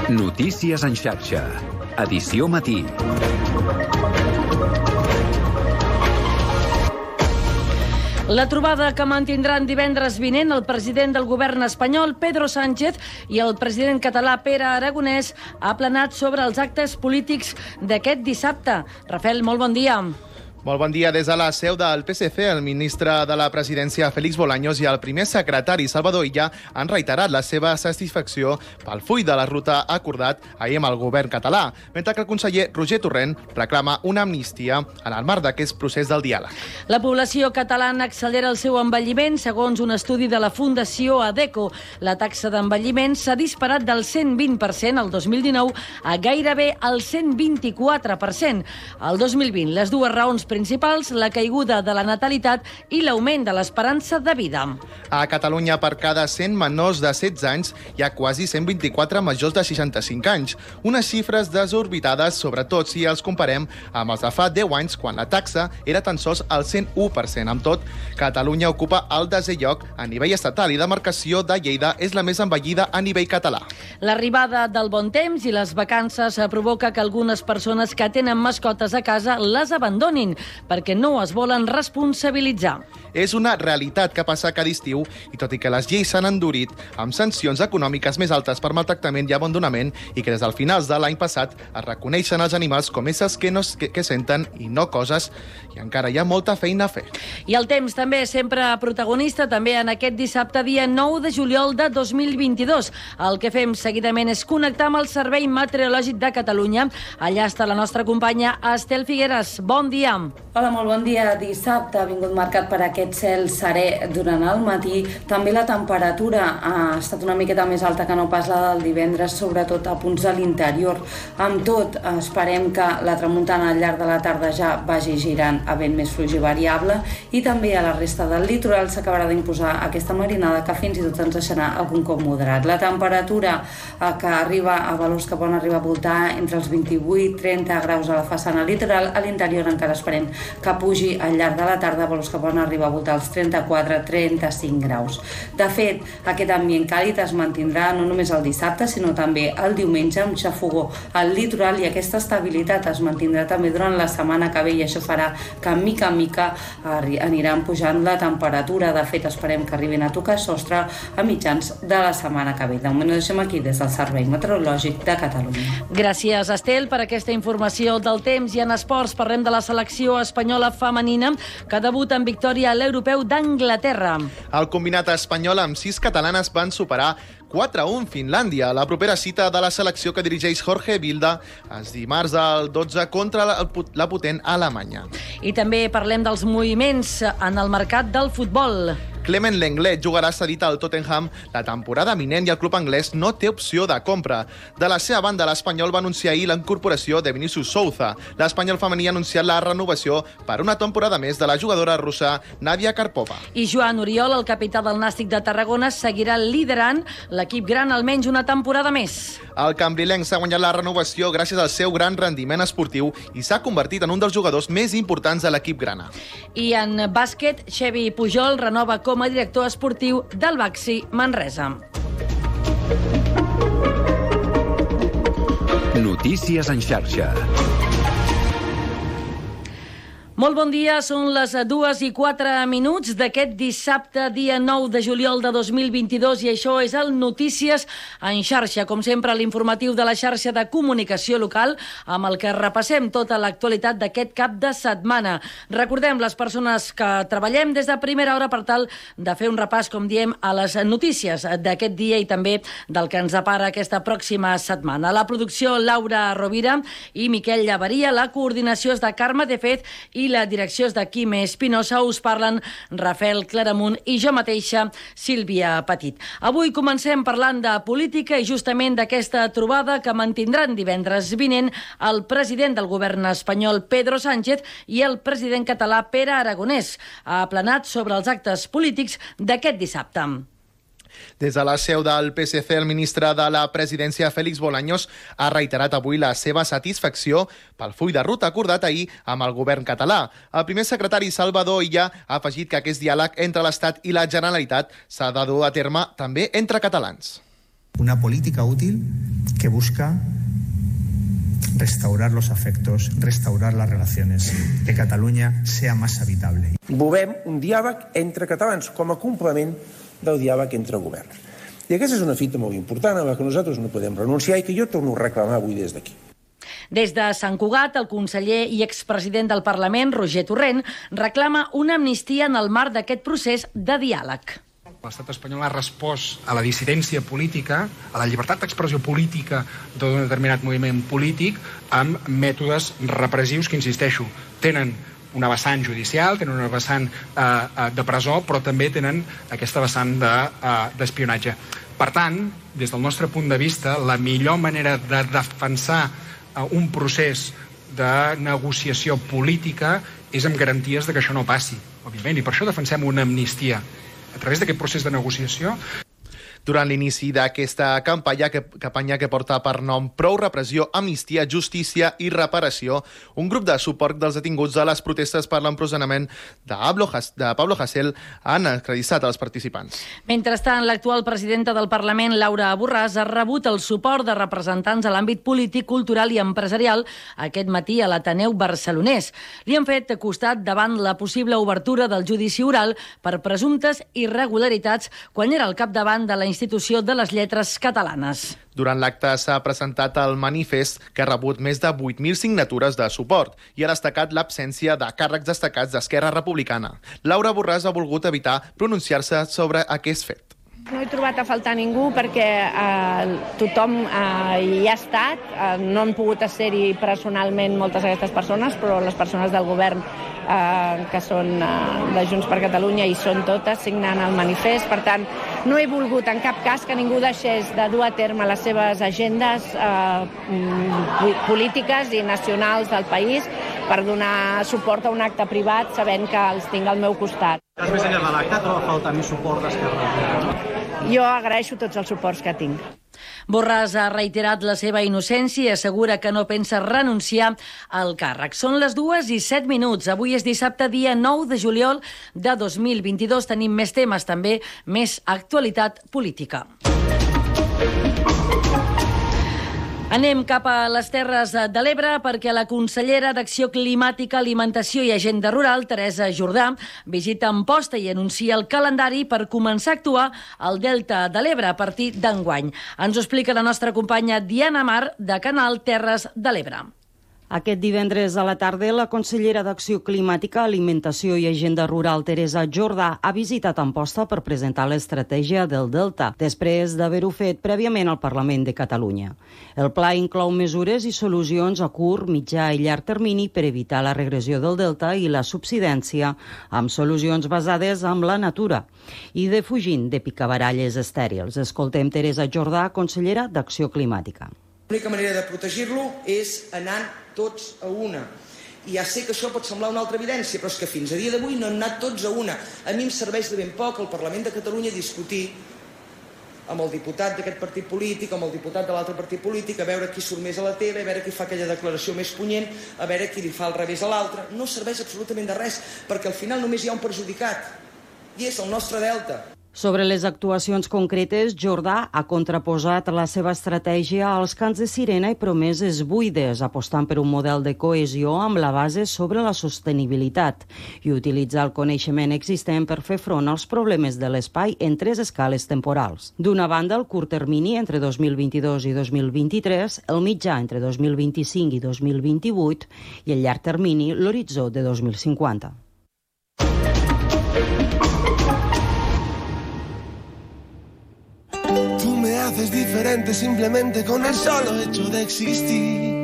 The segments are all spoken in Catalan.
Notícies en xarxa. Edició matí. La trobada que mantindran divendres vinent el president del govern espanyol, Pedro Sánchez, i el president català, Pere Aragonès, ha planat sobre els actes polítics d'aquest dissabte. Rafael, molt bon dia. Molt bon dia. Des de la seu del PSC, el ministre de la presidència, Félix Bolaños, i el primer secretari, Salvador Illa, han reiterat la seva satisfacció pel full de la ruta acordat ahir amb el govern català, mentre que el conseller Roger Torrent reclama una amnistia en el marc d'aquest procés del diàleg. La població catalana accelera el seu envelliment, segons un estudi de la Fundació ADECO. La taxa d'envelliment s'ha disparat del 120% al 2019 a gairebé el 124%. Al 2020, les dues raons principals, la caiguda de la natalitat i l'augment de l'esperança de vida. A Catalunya, per cada 100 menors de 16 anys, hi ha quasi 124 majors de 65 anys. Unes xifres desorbitades, sobretot si els comparem amb els de fa 10 anys, quan la taxa era tan sols el 101%. Amb tot, Catalunya ocupa el 10è lloc a nivell estatal i demarcació de Lleida és la més envellida a nivell català. L'arribada del bon temps i les vacances provoca que algunes persones que tenen mascotes a casa les abandonin, perquè no es volen responsabilitzar. És una realitat que passa cada estiu i tot i que les lleis s'han endurit amb sancions econòmiques més altes per maltractament i abandonament i que des del finals de l'any passat es reconeixen els animals com éssers que senten i no coses, i encara hi ha molta feina a fer. I el temps també sempre protagonista, també en aquest dissabte, dia 9 de juliol de 2022. El que fem seguidament és connectar amb el Servei Meteorològic de Catalunya. Allà està la nostra companya Estel Figueres. Bon dia. Hola, molt bon dia. Dissabte ha vingut marcat per aquest cel serè durant el matí. També la temperatura ha estat una miqueta més alta que no pas la del divendres, sobretot a punts de l'interior. Amb tot, esperem que la tramuntana al llarg de la tarda ja vagi girant a vent més fluix i variable, i també a la resta del litoral s'acabarà d'imposar aquesta marinada que fins i tot ens deixarà algun cop moderat. La temperatura que arriba a valors que poden arribar a voltar entre els 28-30 graus a la façana litoral, a l'interior encara esperem que pugi al llarg de la tarda, valors que poden arribar a voltar als 34-35 graus. De fet, aquest ambient càlid es mantindrà no només el dissabte, sinó també el diumenge, amb xafogó al litoral, i aquesta estabilitat es mantindrà també durant la setmana que ve, i això farà que mica en mica aniran pujant la temperatura. De fet, esperem que arribin a tocar sostre a mitjans de la setmana que ve. De moment ho deixem aquí des del Servei Meteorològic de Catalunya. Gràcies, Estel, per aquesta informació del temps. I en esports parlem de la selecció espanyola femenina que debuta en victòria a l'Europeu d'Anglaterra. El combinat espanyol amb 6 catalanes van superar 4-1 Finlàndia. La propera cita de la selecció que dirigeix Jorge Vilda és dimarts al 12 contra la potent Alemanya. I també parlem dels moviments en el mercat del futbol. Clement Lenglet jugarà cedit al Tottenham la temporada vinent i el club anglès no té opció de compra. De la seva banda, l'Espanyol va anunciar ahir la incorporació de Vinícius Souza. L'Espanyol femení ha anunciat la renovació per una temporada més de la jugadora russa Nadia Karpova. I Joan Oriol, el capità del Nàstic de Tarragona, seguirà liderant l'equip gran almenys una temporada més. El cambrilenc s'ha guanyat la renovació gràcies al seu gran rendiment esportiu i s'ha convertit en un dels jugadors més importants de l'equip grana. I en bàsquet, Xevi Pujol renova com a director esportiu del Baxi Manresa. Notícies en xarxa. Molt bon dia, són les 2:04 d'aquest dissabte, dia 9 de juliol de 2022, i això és el Notícies en xarxa. Com sempre, l'informatiu de la xarxa de comunicació local, amb el que repassem tota l'actualitat d'aquest cap de setmana. Recordem les persones que treballem des de primera hora per tal de fer un repàs, com diem, a les notícies d'aquest dia i també del que ens depara aquesta pròxima setmana. La producció, Laura Rovira i Miquel Llaveria, la coordinació és de Carme de Fez i la direcció és de Quime Espinosa. Us parlen Rafael Claramunt i jo mateixa, Sílvia Petit. Avui comencem parlant de política i justament d'aquesta trobada que mantindran divendres vinent el president del govern espanyol, Pedro Sánchez, i el president català, Pere Aragonès. Ha aplanat sobre els actes polítics d'aquest dissabte. Des de la seu del PSC, el ministre de la presidència, Félix Bolaños, ha reiterat avui la seva satisfacció pel full de ruta acordat ahir amb el govern català. El primer secretari, Salvador Illa, ha afegit que aquest diàleg entre l'Estat i la Generalitat s'ha de dur a terme també entre catalans. Una política útil que busca restaurar los afectos, restaurar las relaciones, que Catalunya sea más habitable. Volem un diàleg entre catalans com a complement del diàleg entre governs. I aquesta és una fita molt important a la que nosaltres no podem renunciar i que jo torno a reclamar avui des d'aquí. Des de Sant Cugat, el conseller i expresident del Parlament, Roger Torrent, reclama una amnistia en el marc d'aquest procés de diàleg. L'estat espanyol ha respost a la dissidència política, a la llibertat d'expressió política d'un determinat moviment polític amb mètodes repressius que, insisteixo, tenen una vessant judicial, tenen una vessant de presó, però també tenen aquesta vessant d'espionatge. Per tant, des del nostre punt de vista, la millor manera de defensar un procés de negociació política és amb garanties de que això no passi, òbviament, i per això defensem una amnistia a través d'aquest procés de negociació. Durant l'inici d'aquesta campanya que porta per nom Prou repressió, amnistia, justícia i reparació, un grup de suport dels detinguts de les protestes per l'empresonament de Pablo Hasél han acreditat als participants. Mentrestant, l'actual presidenta del Parlament, Laura Borràs, ha rebut el suport de representants a l'àmbit polític, cultural i empresarial aquest matí a l'Ateneu barcelonès. Li han fet costat davant la possible obertura del judici oral per presumptes irregularitats quan era al capdavant de la Institució de les Lletres Catalanes. Durant l'acte s'ha presentat el manifest que ha rebut més de 8.000 signatures de suport i ha destacat l'absència de càrrecs destacats d'Esquerra Republicana. Laura Borràs ha volgut evitar pronunciar-se sobre aquest fet. No he trobat a faltar ningú perquè tothom hi ha estat. No han pogut ser-hi personalment moltes d'aquestes persones, però les persones del govern que són de Junts per Catalunya hi són totes signant el manifest. Per tant, no he volgut en cap cas que ningú deixés de dur a terme les seves agendes polítiques i nacionals del país per donar suport a un acte privat sabent que els tinc al meu costat. Més enllà de l'acte, troba a faltar més suport d'Esquerra Republicana? Jo agraeixo tots els suports que tinc. Borràs ha reiterat la seva innocència i assegura que no pensa renunciar al càrrec. Són les 2:07. Avui és dissabte, dia 9 de juliol de 2022. Tenim més temes, també més actualitat política. Anem cap a les Terres de l'Ebre perquè la consellera d'Acció Climàtica, Alimentació i Agenda Rural, Teresa Jordà, visita Amposta i anuncia el calendari per començar a actuar al Delta de l'Ebre a partir d'enguany. Ens ho explica la nostra companya Diana Mar, de Canal Terres de l'Ebre. Aquest divendres a la tarda, la consellera d'Acció Climàtica, Alimentació i Agenda Rural, Teresa Jordà, ha visitat Amposta per presentar l'estratègia del Delta, després d'haver-ho fet prèviament al Parlament de Catalunya. El pla inclou mesures i solucions a curt, mitjà i llarg termini per evitar la regressió del Delta i la subsidència, amb solucions basades en la natura i defugint de picabaralles estèrils. Escoltem Teresa Jordà, consellera d'Acció Climàtica. L'única manera de protegir-lo és anant tots a una. I ja sé que això pot semblar una altra evidència, però és que fins a dia d'avui no han anat tots a una. A mi em serveix de ben poc al Parlament de Catalunya discutir amb el diputat d'aquest partit polític, amb el diputat de l'altre partit polític, a veure qui surt més a la tele, a veure qui fa aquella declaració més punyent, a veure qui li fa el revés a l'altre. No serveix absolutament de res, perquè al final només hi ha un perjudicat, i és el nostre Delta. Sobre les actuacions concretes, Jordà ha contraposat la seva estratègia als cants de sirena i promeses buides, apostant per un model de cohesió amb la base sobre la sostenibilitat i utilitzar el coneixement existent per fer front als problemes de l'espai en 3 escales temporals. D'una banda, el curt termini entre 2022 i 2023, el mitjà entre 2025 i 2028 i el llarg termini, l'horitzó de 2050. Haces diferente simplemente con el solo hecho de existir.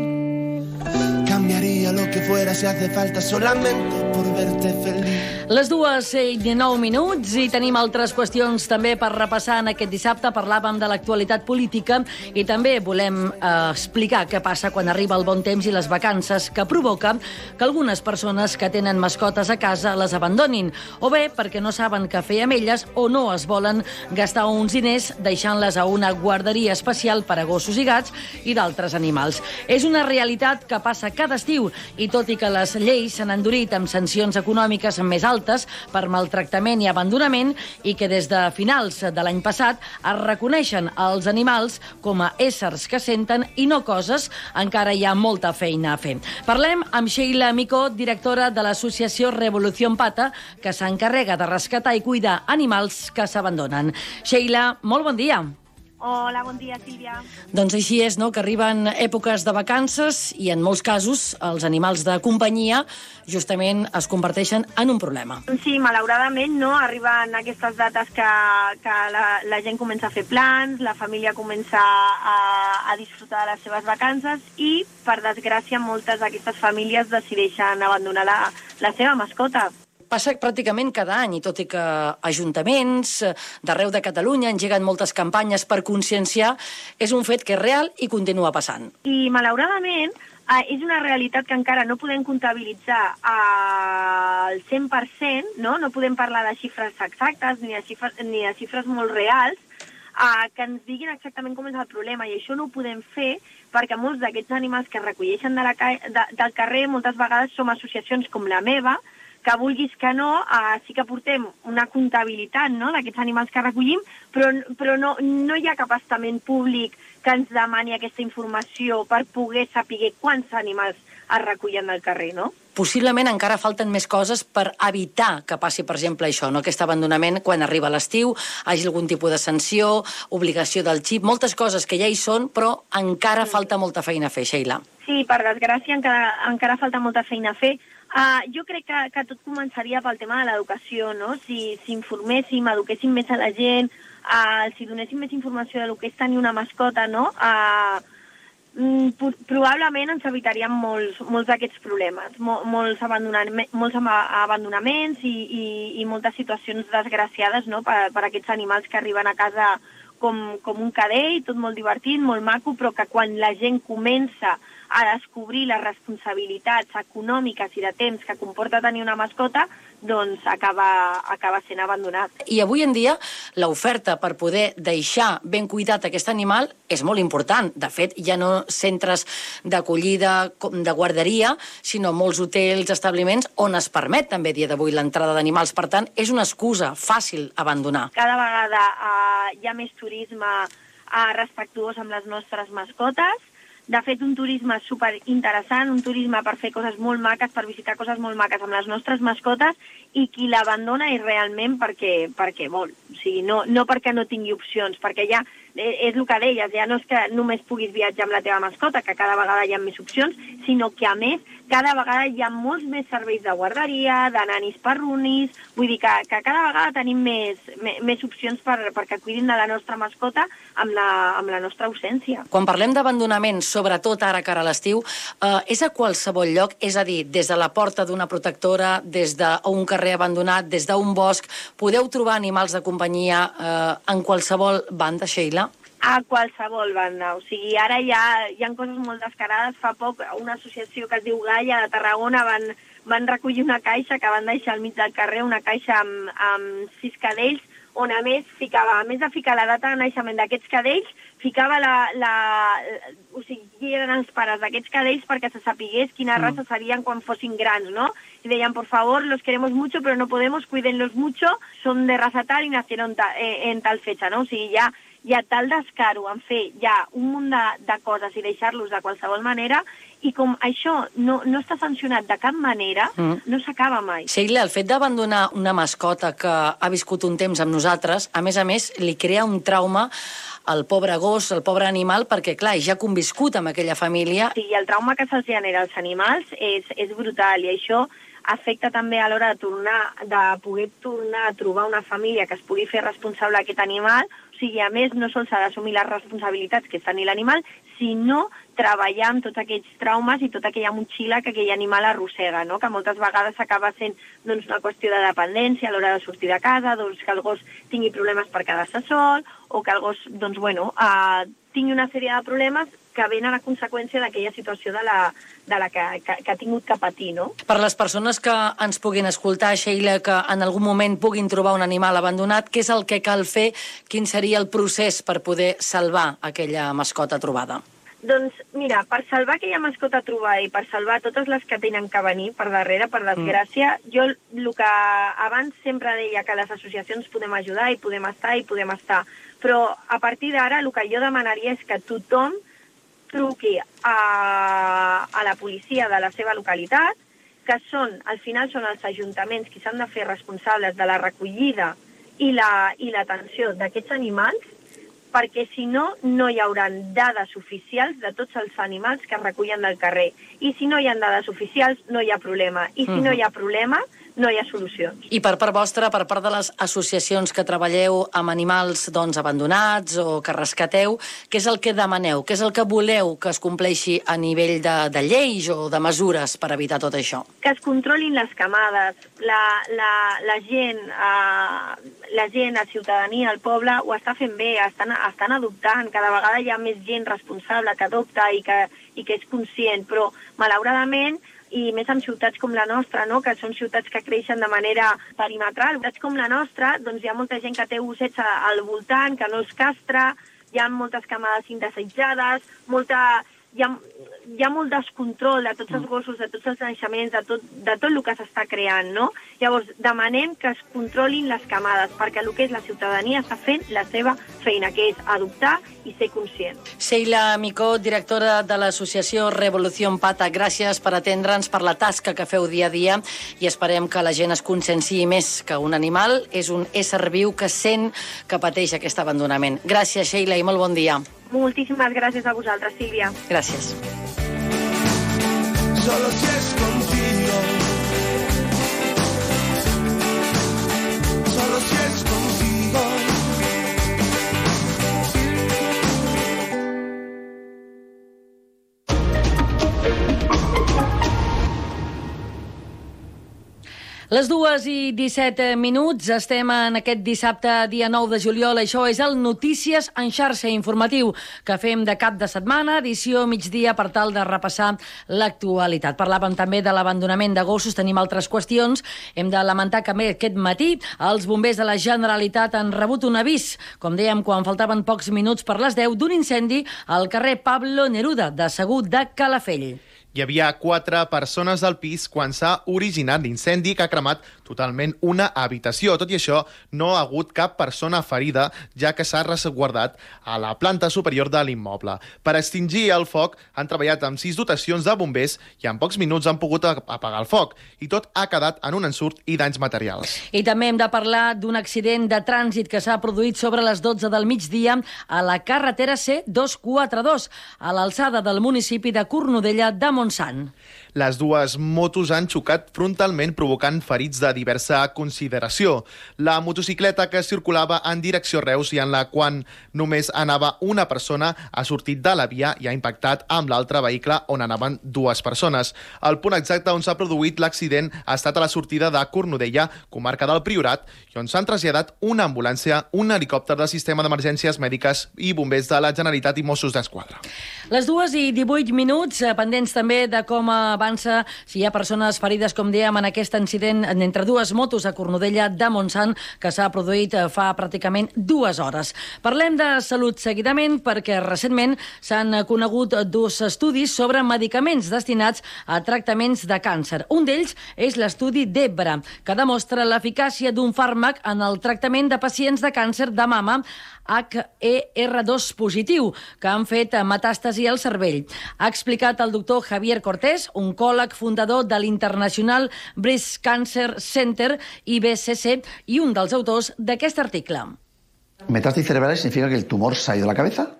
Cambiaría lo que fuera si hace falta solamente por verte feliz. Les 2:09 i tenim altres qüestions també per repassar en aquest dissabte. Parlàvem de l'actualitat política i també volem explicar què passa quan arriba el bon temps i les vacances, que provoca que algunes persones que tenen mascotes a casa les abandonin, o bé perquè no saben què fer amb elles o no es volen gastar uns diners deixant-les a una guarderia especial per a gossos i gats i d'altres animals. És una realitat que passa cada d'estiu i tot i que les lleis s'han endurit amb sancions econòmiques més altes per maltractament i abandonament i que des de finals de l'any passat es reconeixen els animals com a éssers que senten i no coses, encara hi ha molta feina a fer. Parlem amb Sheila Micó, directora de l'associació Revolución Pata, que s'encarrega de rescatar i cuidar animals que s'abandonen. Sheila, molt bon dia. Hola, bon dia, Sílvia. Doncs així és, no?, que arriben èpoques de vacances i en molts casos els animals de companyia justament es converteixen en un problema. Sí, malauradament, no? Arriben aquestes dates que la gent comença a fer plans, la família comença a disfrutar de les seves vacances i, per desgràcia, moltes d'aquestes famílies decideixen abandonar la seva mascota. Passa pràcticament cada any, i tot i que ajuntaments d'arreu de Catalunya engeguen moltes campanyes per conscienciar, és un fet que és real i continua passant. I, malauradament, és una realitat que encara no podem comptabilitzar al 100%, no? No podem parlar de xifres exactes ni de xifres molt reals, que ens diguin exactament com és el problema, i això no ho podem fer perquè molts d'aquests animals que es recolleixen del carrer moltes vegades som associacions com la meva, que vulguis que no, sí que portem una comptabilitat, no?, d'aquests animals que recollim, però no hi ha cap estament públic que ens demani aquesta informació per poder saber quants animals es recullen del carrer, no? Possiblement encara falten més coses per evitar que passi, per exemple, això, no?, aquest abandonament quan arriba l'estiu, hagi algun tipus de sanció, obligació del xip, moltes coses que ja hi són, però encara falta molta feina a fer, Sheila. Sí, per desgràcia encara falta molta feina a fer. Jo crec que tot començaria pel tema de l'educació, no? Si informéssim, eduquéssim més a la gent, si donéssim més informació de lo que és tenir una mascota, no? Probablement ens evitaríem molts d'aquests problemes, molts abandonaments i moltes situacions desgraciades, no?, per aquests animals que arriben a casa com un cadell, tot molt divertit, molt maco, però que quan la gent comença a descobrir les responsabilitats econòmiques i de temps que comporta tenir una mascota, doncs acaba sent abandonat. I avui en dia l'oferta per poder deixar ben cuidat aquest animal és molt important. De fet, ja no centres d'acollida, de guarderia, sinó molts hotels, establiments on es permet també a dia d'avui l'entrada d'animals. Per tant, és una excusa fàcil abandonar. Cada vegada hi ha més turisme respectuós amb les nostres mascotes. De fet, un turisme superinteressant, un turisme per fer coses molt maques, per visitar coses molt maques amb les nostres mascotes, i qui l'abandona és realment perquè vol. O sigui, no perquè no tingui opcions, perquè ja és el que deies, ja no és que només puguis viatjar amb la teva mascota, que cada vegada hi ha més opcions, sinó que, a més, cada vegada hi ha molts més serveis de guarderia, de nanis perrunis, vull dir que cada vegada tenim més opcions perquè cuidin de la nostra mascota amb la nostra ausència. Quan parlem d'abandonament, sobretot ara cara a l'estiu, és a qualsevol lloc, és a dir, des de la porta d'una protectora, des d'un carrer abandonat, des d'un bosc, podeu trobar animals de companyia en qualsevol banda, Sheila? A qualsevol banda. O sigui, ara hi ha coses molt descarades. Fa poc una associació que es diu Gaia de Tarragona van recollir una caixa que van deixar al mig del carrer, una caixa amb 6 cadells, on a més de ficar la data de naixement d'aquests cadells, ficava o sigui, qui eren els pares d'aquests cadells perquè se sapigués quina raça serien quan fossin grans, no? Y decían, por favor, los queremos mucho, pero no podemos, cuídenlos mucho, son de raza tal y nacieron en tal fecha, no? O sigui, hi ha tal descaro en fer ja un munt de coses i deixar-los de qualsevol manera, i com això no està sancionat de cap manera, no s'acaba mai. Sheila, el fet d'abandonar una mascota que ha viscut un temps amb nosaltres, a més, li crea un trauma al pobre gos, al pobre animal, perquè, clar, ja ha conviscut amb aquella família. Sí, el trauma que se'ls genera als animals és brutal, i això afecta també a l'hora de poder tornar a trobar una família que es pugui fer responsable d'aquest animal. O sigui, a més, no sols s'ha d'assumir les responsabilitats que és tenir l'animal, sinó treballar amb tots aquells traumes i tota aquella motxilla que aquell animal arrossega, no? Que moltes vegades acaba sent una qüestió de dependència a l'hora de sortir de casa, que el gos tingui problemes per quedar-se sol, o que el gos tingui una sèrie de problemes que venen a conseqüència d'aquella situació de la que ha tingut que patir, no? Per les persones que ens puguin escoltar, Sheila, que en algun moment puguin trobar un animal abandonat, què és el que cal fer? Quin seria el procés per poder salvar aquella mascota trobada? Doncs mira, per salvar aquella mascota trobada i per salvar totes les que tenen que venir per darrere, per desgràcia, jo el que abans sempre deia que les associacions podem ajudar i podem estar, però a partir d'ara el que jo demanaria és que tothom truqui a la policia de la seva localitat, que al final són els ajuntaments qui s'han de fer responsables de la recollida i l'atenció d'aquests animals, perquè si no, no hi haurà dades oficials de tots els animals que es recullen del carrer. I si no hi ha dades oficials, no hi ha problema. I si no hi ha problema, no hi ha solucions. I per part vostra, per part de les associacions que treballeu amb animals abandonats o que rescateu, què és el que demaneu? Què és el que voleu que es compleixi a nivell de lleis o de mesures per evitar tot això? Que es controlin les camades. La gent, la ciutadania, el poble, ho està fent bé, estan adoptant. Cada vegada hi ha més gent responsable que adopta i que és conscient, però malauradament, i més en ciutats com la nostra, no? Que són ciutats que creixen de manera perimetral. Ciutats com la nostra, doncs hi ha molta gent que té gossets al voltant, que no els castra, hi ha moltes camades indesitjades, hi ha molt descontrol de tots els gossos, de tots els naixements, de tot el que s'està creant, no? Llavors, demanem que es controlin les camades, perquè el que és la ciutadania està fent la seva feina, que és adoptar i ser conscient. Sheila Micó, directora de l'associació Revolución Pata, gràcies per atendre'ns, per la tasca que feu dia a dia, i esperem que la gent es conscienciï més que un animal és un ésser viu que sent que pateix aquest abandonament. Gràcies, Sheila, i molt bon dia. Moltíssimes gràcies a vosaltres, Sílvia. Gràcies. Solo si es contigo. Solo si es contigo. Les 2:17, estem en aquest dissabte, dia 9 de juliol. Això és el Notícies en xarxa informatiu que fem de cap de setmana, edició migdia, per tal de repassar l'actualitat. Parlàvem també de l'abandonament de gossos, tenim altres qüestions. Hem de lamentar que aquest matí els bombers de la Generalitat han rebut un avís, com dèiem, quan faltaven pocs minuts per les 10, d'un incendi al carrer Pablo Neruda, de Segur de Calafell. Hi havia 4 persones al pis quan s'ha originat l'incendi que ha cremat totalment una habitació. Tot i això, no ha hagut cap persona ferida, ja que s'ha resguardat a la planta superior de l'immoble. Per extingir el foc han treballat amb 6 dotacions de bombers i en pocs minuts han pogut apagar el foc. I tot ha quedat en un ensurt i danys materials. I també hem de parlar d'un accident de trànsit que s'ha produït sobre les 12 del migdia a la carretera C242, a l'alçada del municipi de Cornudella de Montsant. Les dues motos han xocat frontalment, provocant ferits de diversa consideració. La motocicleta que circulava en direcció Reus i en la qual només anava una persona ha sortit de la via i ha impactat amb l'altre vehicle on anaven 2 persones. El punt exacte on s'ha produït l'accident ha estat a la sortida de Cornudella, comarca del Priorat, i on s'han traslladat una ambulància, un helicòpter del sistema d'emergències mèdiques i bombers de la Generalitat i Mossos d'Esquadra. Les 2:18, pendents també de com avança, si hi ha persones ferides, com dèiem, en aquest incident entre 2 motos a Cornudella de Montsant, que s'ha produït fa pràcticament 2 hores. Parlem de salut seguidament, perquè recentment s'han conegut 2 estudis sobre medicaments destinats a tractaments de càncer. Un d'ells és l'estudi d'Ebra, que demostra l'eficàcia d'un fàrmac en el tractament de pacients de càncer de mama HER2 positiu, que han fet metàstasi al cervell. Ha explicat el doctor Javier Cortés, oncòleg fundador de l'International Breast Cancer Center, IBCC, i un dels autors d'aquest article. Metástasis cerebrales significa que el tumor se ha ido a la cabeza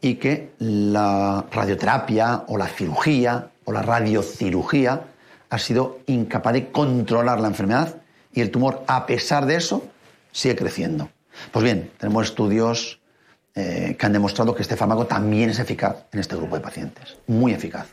y que la radioterapia o la cirugía o la radiocirugía ha sido incapaz de controlar la enfermedad y el tumor, a pesar de eso, sigue creciendo. Pues bien, tenemos estudios que han demostrado que este fármaco también es eficaz en este grupo de pacientes. Muy eficaz.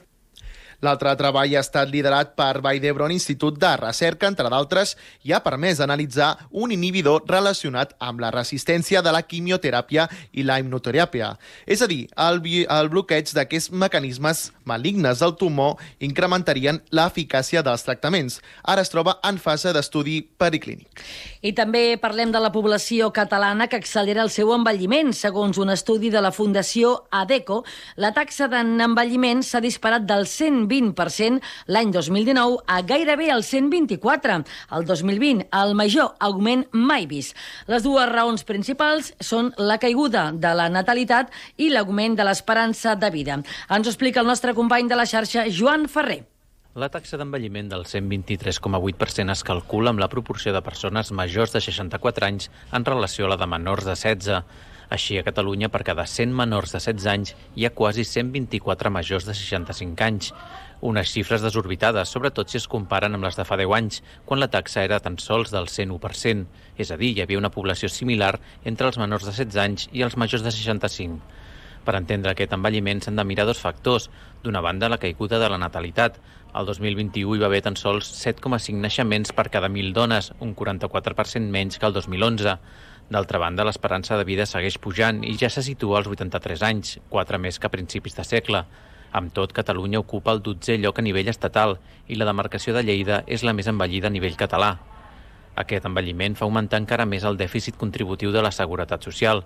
L'altre treball ha estat liderat per Vall d'Hebron Institut de Recerca, entre d'altres, i ha permès analitzar un inhibidor relacionat amb la resistència de la quimioteràpia i la immunoteràpia. És a dir, el bloqueig d'aquests mecanismes malignes del tumor incrementarien l'eficàcia dels tractaments. Ara es troba en fase d'estudi periclínic. I també parlem de la població catalana que accelera el seu envelliment. Segons un estudi de la Fundació ADECO, la taxa d'envelliment s'ha disparat del 120% l'any 2019 a gairebé el 124%. El 2020, el major augment mai vist. Les dues raons principals són la caiguda de la natalitat i l'augment de l'esperança de vida. Ens ho explica el nostre company de la xarxa, Joan Ferrer. La taxa d'envelliment del 123,8% es calcula amb la proporció de persones majors de 64 anys en relació a la de menors de 16. Així, a Catalunya, per cada 100 menors de 16 anys, hi ha quasi 124 majors de 65 anys. Unes xifres desorbitades, sobretot si es comparen amb les de fa 10 anys, quan la taxa era tan sols del 101%. És a dir, hi havia una població similar entre els menors de 16 anys i els majors de 65. Per entendre aquest envelliment s'han de mirar dos factors. D'una banda, la caiguda de la natalitat. El 2021 hi va haver tan sols 7,5 naixements per cada 1.000 dones, un 44% menys que el 2011. D'altra banda, l'esperança de vida segueix pujant i ja se situa als 83 anys, 4 més que a principis de segle. Amb tot, Catalunya ocupa el 12è lloc a nivell estatal i la demarcació de Lleida és la més envellida a nivell català. Aquest envelliment fa augmentar encara més el dèficit contributiu de la Seguretat Social.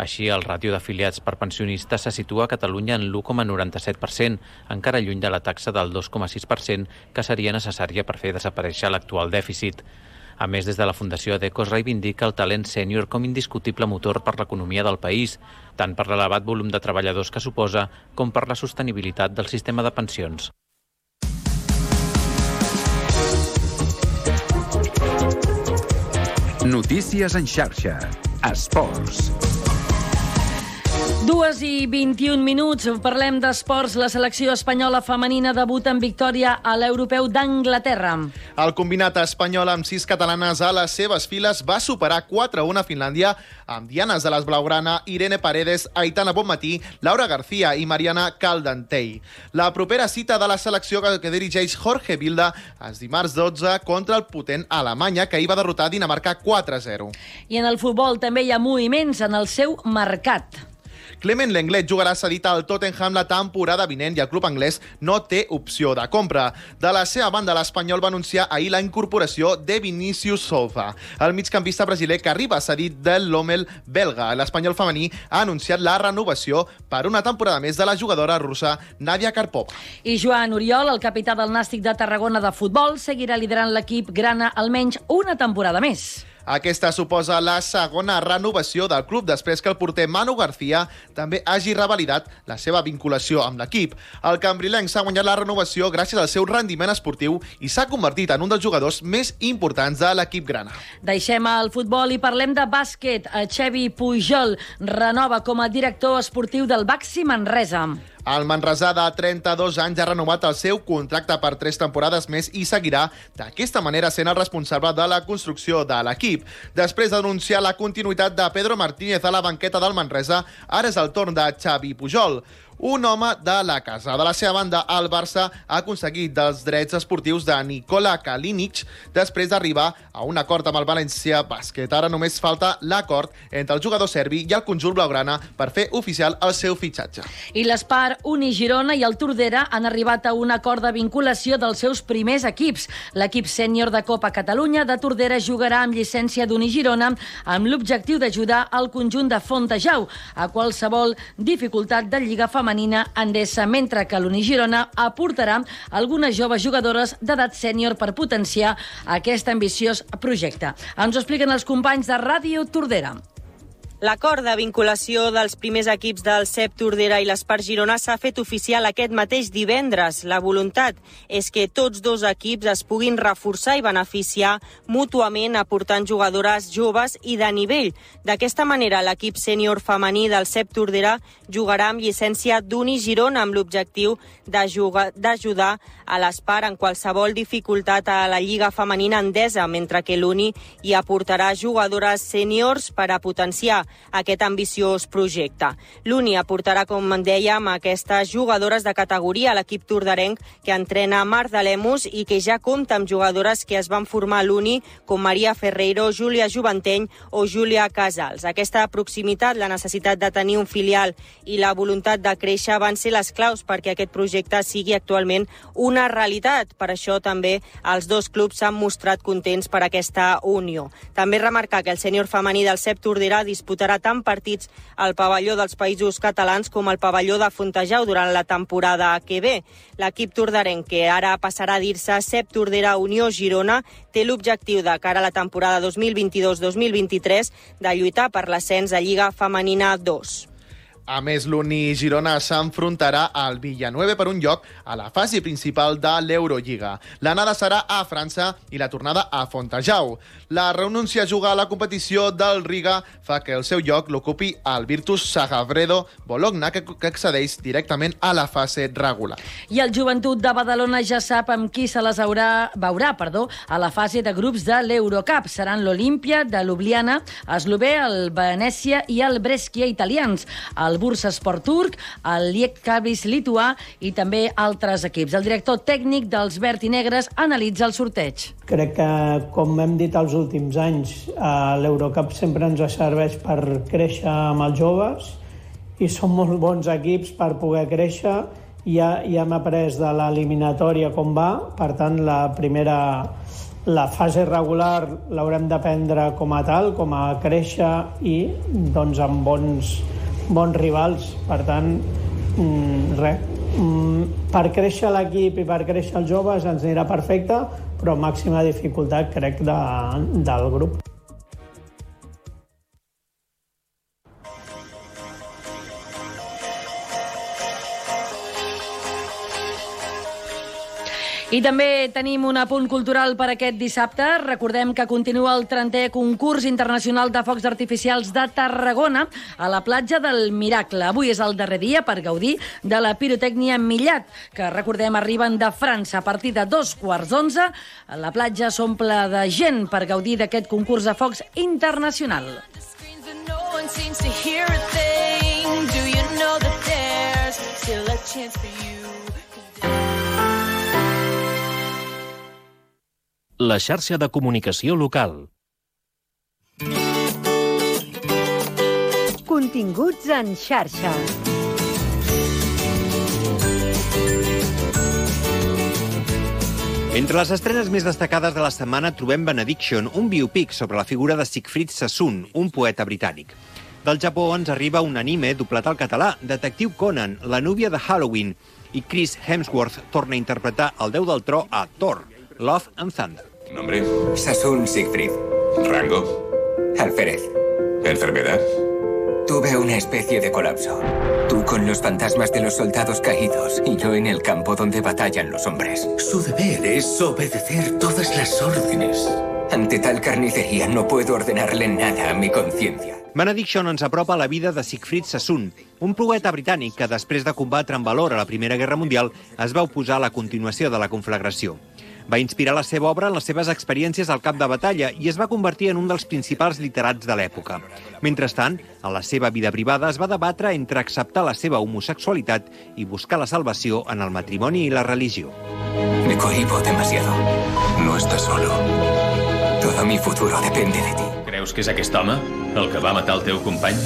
Així, el ràtio d'afiliats per pensionistes se situa a Catalunya en l'1,97%, encara lluny de la taxa del 2,6% que seria necessària per fer desaparèixer l'actual dèficit. A més, des de la Fundació ADECO es reivindica el talent sènior com indiscutible motor per l'economia del país, tant per l'elevat volum de treballadors que suposa com per la sostenibilitat del sistema de pensions. Notícies en xarxa. Esports. 2:21. Parlem d'esports. La selecció espanyola femenina debuta en victòria a l'Europeu d'Anglaterra. El combinat espanyol amb 6 catalanes a les seves files va superar 4-1 a Finlàndia amb dianes de les blaugrana Irene Paredes, Aitana Bonmatí, Laura García i Mariana Caldentey. La propera cita de la selecció que dirigeix Jorge Vilda és dimarts 12 contra el potent Alemanya, que hi va derrotar Dinamarca 4-0. I en el futbol també hi ha moviments en el seu mercat. Clement Lenglet jugarà cedit al Tottenham la temporada vinent i el club anglès no té opció de compra. De la seva banda, l'Espanyol va anunciar ahir la incorporació de Vinícius Souza, el migcampista brasiler que arriba cedit del Lommel belga. L'Espanyol femení ha anunciat la renovació per una temporada més de la jugadora russa Nadia Karpova. I Joan Oriol, el capità del Nàstic de Tarragona de futbol, seguirà liderant l'equip grana almenys una temporada més. Aquesta suposa la segona renovació del club després que el porter Manu García també hagi revalidat la seva vinculació amb l'equip. El cambrilenc s'ha guanyat la renovació gràcies al seu rendiment esportiu i s'ha convertit en un dels jugadors més importants de l'equip grana. Deixem el futbol i parlem de bàsquet. Xevi Pujol renova com a director esportiu del Baxi Manresa. El manresà de 32 anys ha renovat el seu contracte per 3 temporades més i seguirà d'aquesta manera sent el responsable de la construcció de l'equip. Després d'anunciar la continuïtat de Pedro Martínez a la banqueta del Manresa, ara és el torn de Xavi Pujol, un home de la casa. De la seva banda, el Barça ha aconseguit dels drets esportius de Nikola Kalinic després d'arribar a un acord amb el València Bàsquet. Ara només falta l'acord entre el jugador serbi i el conjunt blaugrana per fer oficial el seu fitxatge. I l'Espar, Unigirona i el Tordera han arribat a un acord de vinculació dels seus primers equips. L'equip sènior de Copa Catalunya de Tordera jugarà amb llicència d'Unigirona amb l'objectiu d'ajudar al conjunt de Fontejau a qualsevol dificultat de Lliga Femenina Endesa, mentre que l'Unigirona aportarà algunes joves jugadores d'edat sènior per potenciar aquest ambiciós projecte. Ens ho expliquen els companys de Ràdio Tordera. L'acord de vinculació dels primers equips del CEP Tordera i l'Espar Girona s'ha fet oficial aquest mateix divendres. La voluntat és que tots dos equips es puguin reforçar i beneficiar mútuament aportant jugadores joves i de nivell. D'aquesta manera, l'equip sènior femení del CEP Tordera jugarà amb llicència d'Unigirona amb l'objectiu d'ajudar a l'Espar en qualsevol dificultat a la Lliga Femenina Endesa, mentre que l'Uni hi aportarà jugadores sèniors per a potenciar aquest ambiciós projecte. L'Uni aportarà, com en dèiem, aquestes jugadores de categoria a l'equip tordarenc que entrena Marc de Lemus i que ja compta amb jugadores que es van formar a l'Uni, com Maria Ferreiro, Júlia Juventeny o Júlia Casals. Aquesta proximitat, la necessitat de tenir un filial i la voluntat de créixer van ser les claus perquè aquest projecte sigui actualment una realitat. Per això també els dos clubs s'han mostrat contents per aquesta unió. També remarcar que el sènior femení del CEP Tordera disputarà tant partits al pavelló dels Països Catalans com al pavelló de Fontejau durant la temporada que ve. L'equip tordarenc, que ara passarà a dir-se CEP Tordera Unió Girona, té l'objectiu de cara a la temporada 2022-2023 de lluitar per l'ascens a Lliga Femenina 2. A més, l'Uni Girona s'enfrontarà al Villanueva per un lloc a la fase principal de l'Eurolliga. L'anada serà a França i la tornada a Fontejau. La renúncia a jugar a la competició del Riga fa que el seu lloc l'ocupi el Virtus Sagavredo Bologna, que accedeix directament a la fase regular. I el Joventut de Badalona ja sap amb qui se les veurà a la fase de grups de l'Eurocup. Seran l'Olímpia de Ljubljana, Eslové, el Venècia i el Brescia italians, el Bursaspor turc, el Lietkabelis lituà i també altres equips. El director tècnic dels verd i negres analitza el sorteig. Crec que, com hem dit els últims anys, l'Eurocup sempre ens serveix per créixer amb els joves i són molt bons equips per poder créixer. Ja hem après de l'eliminatòria com va, per tant, la fase regular l'haurem de prendre com a tal, com a créixer i doncs amb bons rivals. Per tant, per créixer l'equip i per créixer els joves ens anirà perfecte, però màxima dificultat, crec, del grup. I també tenim un apunt cultural per aquest dissabte. Recordem que continua el 30è concurs internacional de focs artificials de Tarragona a la platja del Miracle. Avui és el darrer dia per gaudir de la pirotècnia Millat, que, recordem, arriben de França a partir de 11:15. La platja s'omple de gent per gaudir d'aquest concurs de focs internacional. La xarxa de comunicació local. Continguts en xarxa. Entre les estrenes més destacades de la setmana trobem Benediction, un biopic sobre la figura de Siegfried Sassoon, un poeta britànic. Del Japó ens arriba un anime doblat al català, Detectiu Conan, la núvia de Halloween, i Chris Hemsworth torna a interpretar el déu del tro a Thor, Love and Thunder. Nombre: Sassoon Siegfried. Rango: alférez. Enfermedad: tuve una especie de colapso. Tú con los fantasmas de los soldados caídos y yo en el campo donde batallan los hombres. Su deber es obedecer todas las órdenes. Ante tal carnicería no puedo ordenarle nada a mi conciencia. Benediction ens apropa a la vida de Siegfried Sassoon, un poeta britànic que, després de combatre amb valor a la Primera Guerra Mundial, es va oposar a la continuació de la conflagració. Va inspirar la seva obra en les seves experiències al camp de batalla i es va convertir en un dels principals literats de l'època. Mentrestant, a la seva vida privada es va debatre entre acceptar la seva homosexualitat i buscar la salvació en el matrimoni i la religió. Me cohibo demasiado. No estás solo. Todo mi futuro depende de ti. Creus que és aquest home el que va matar el teu company?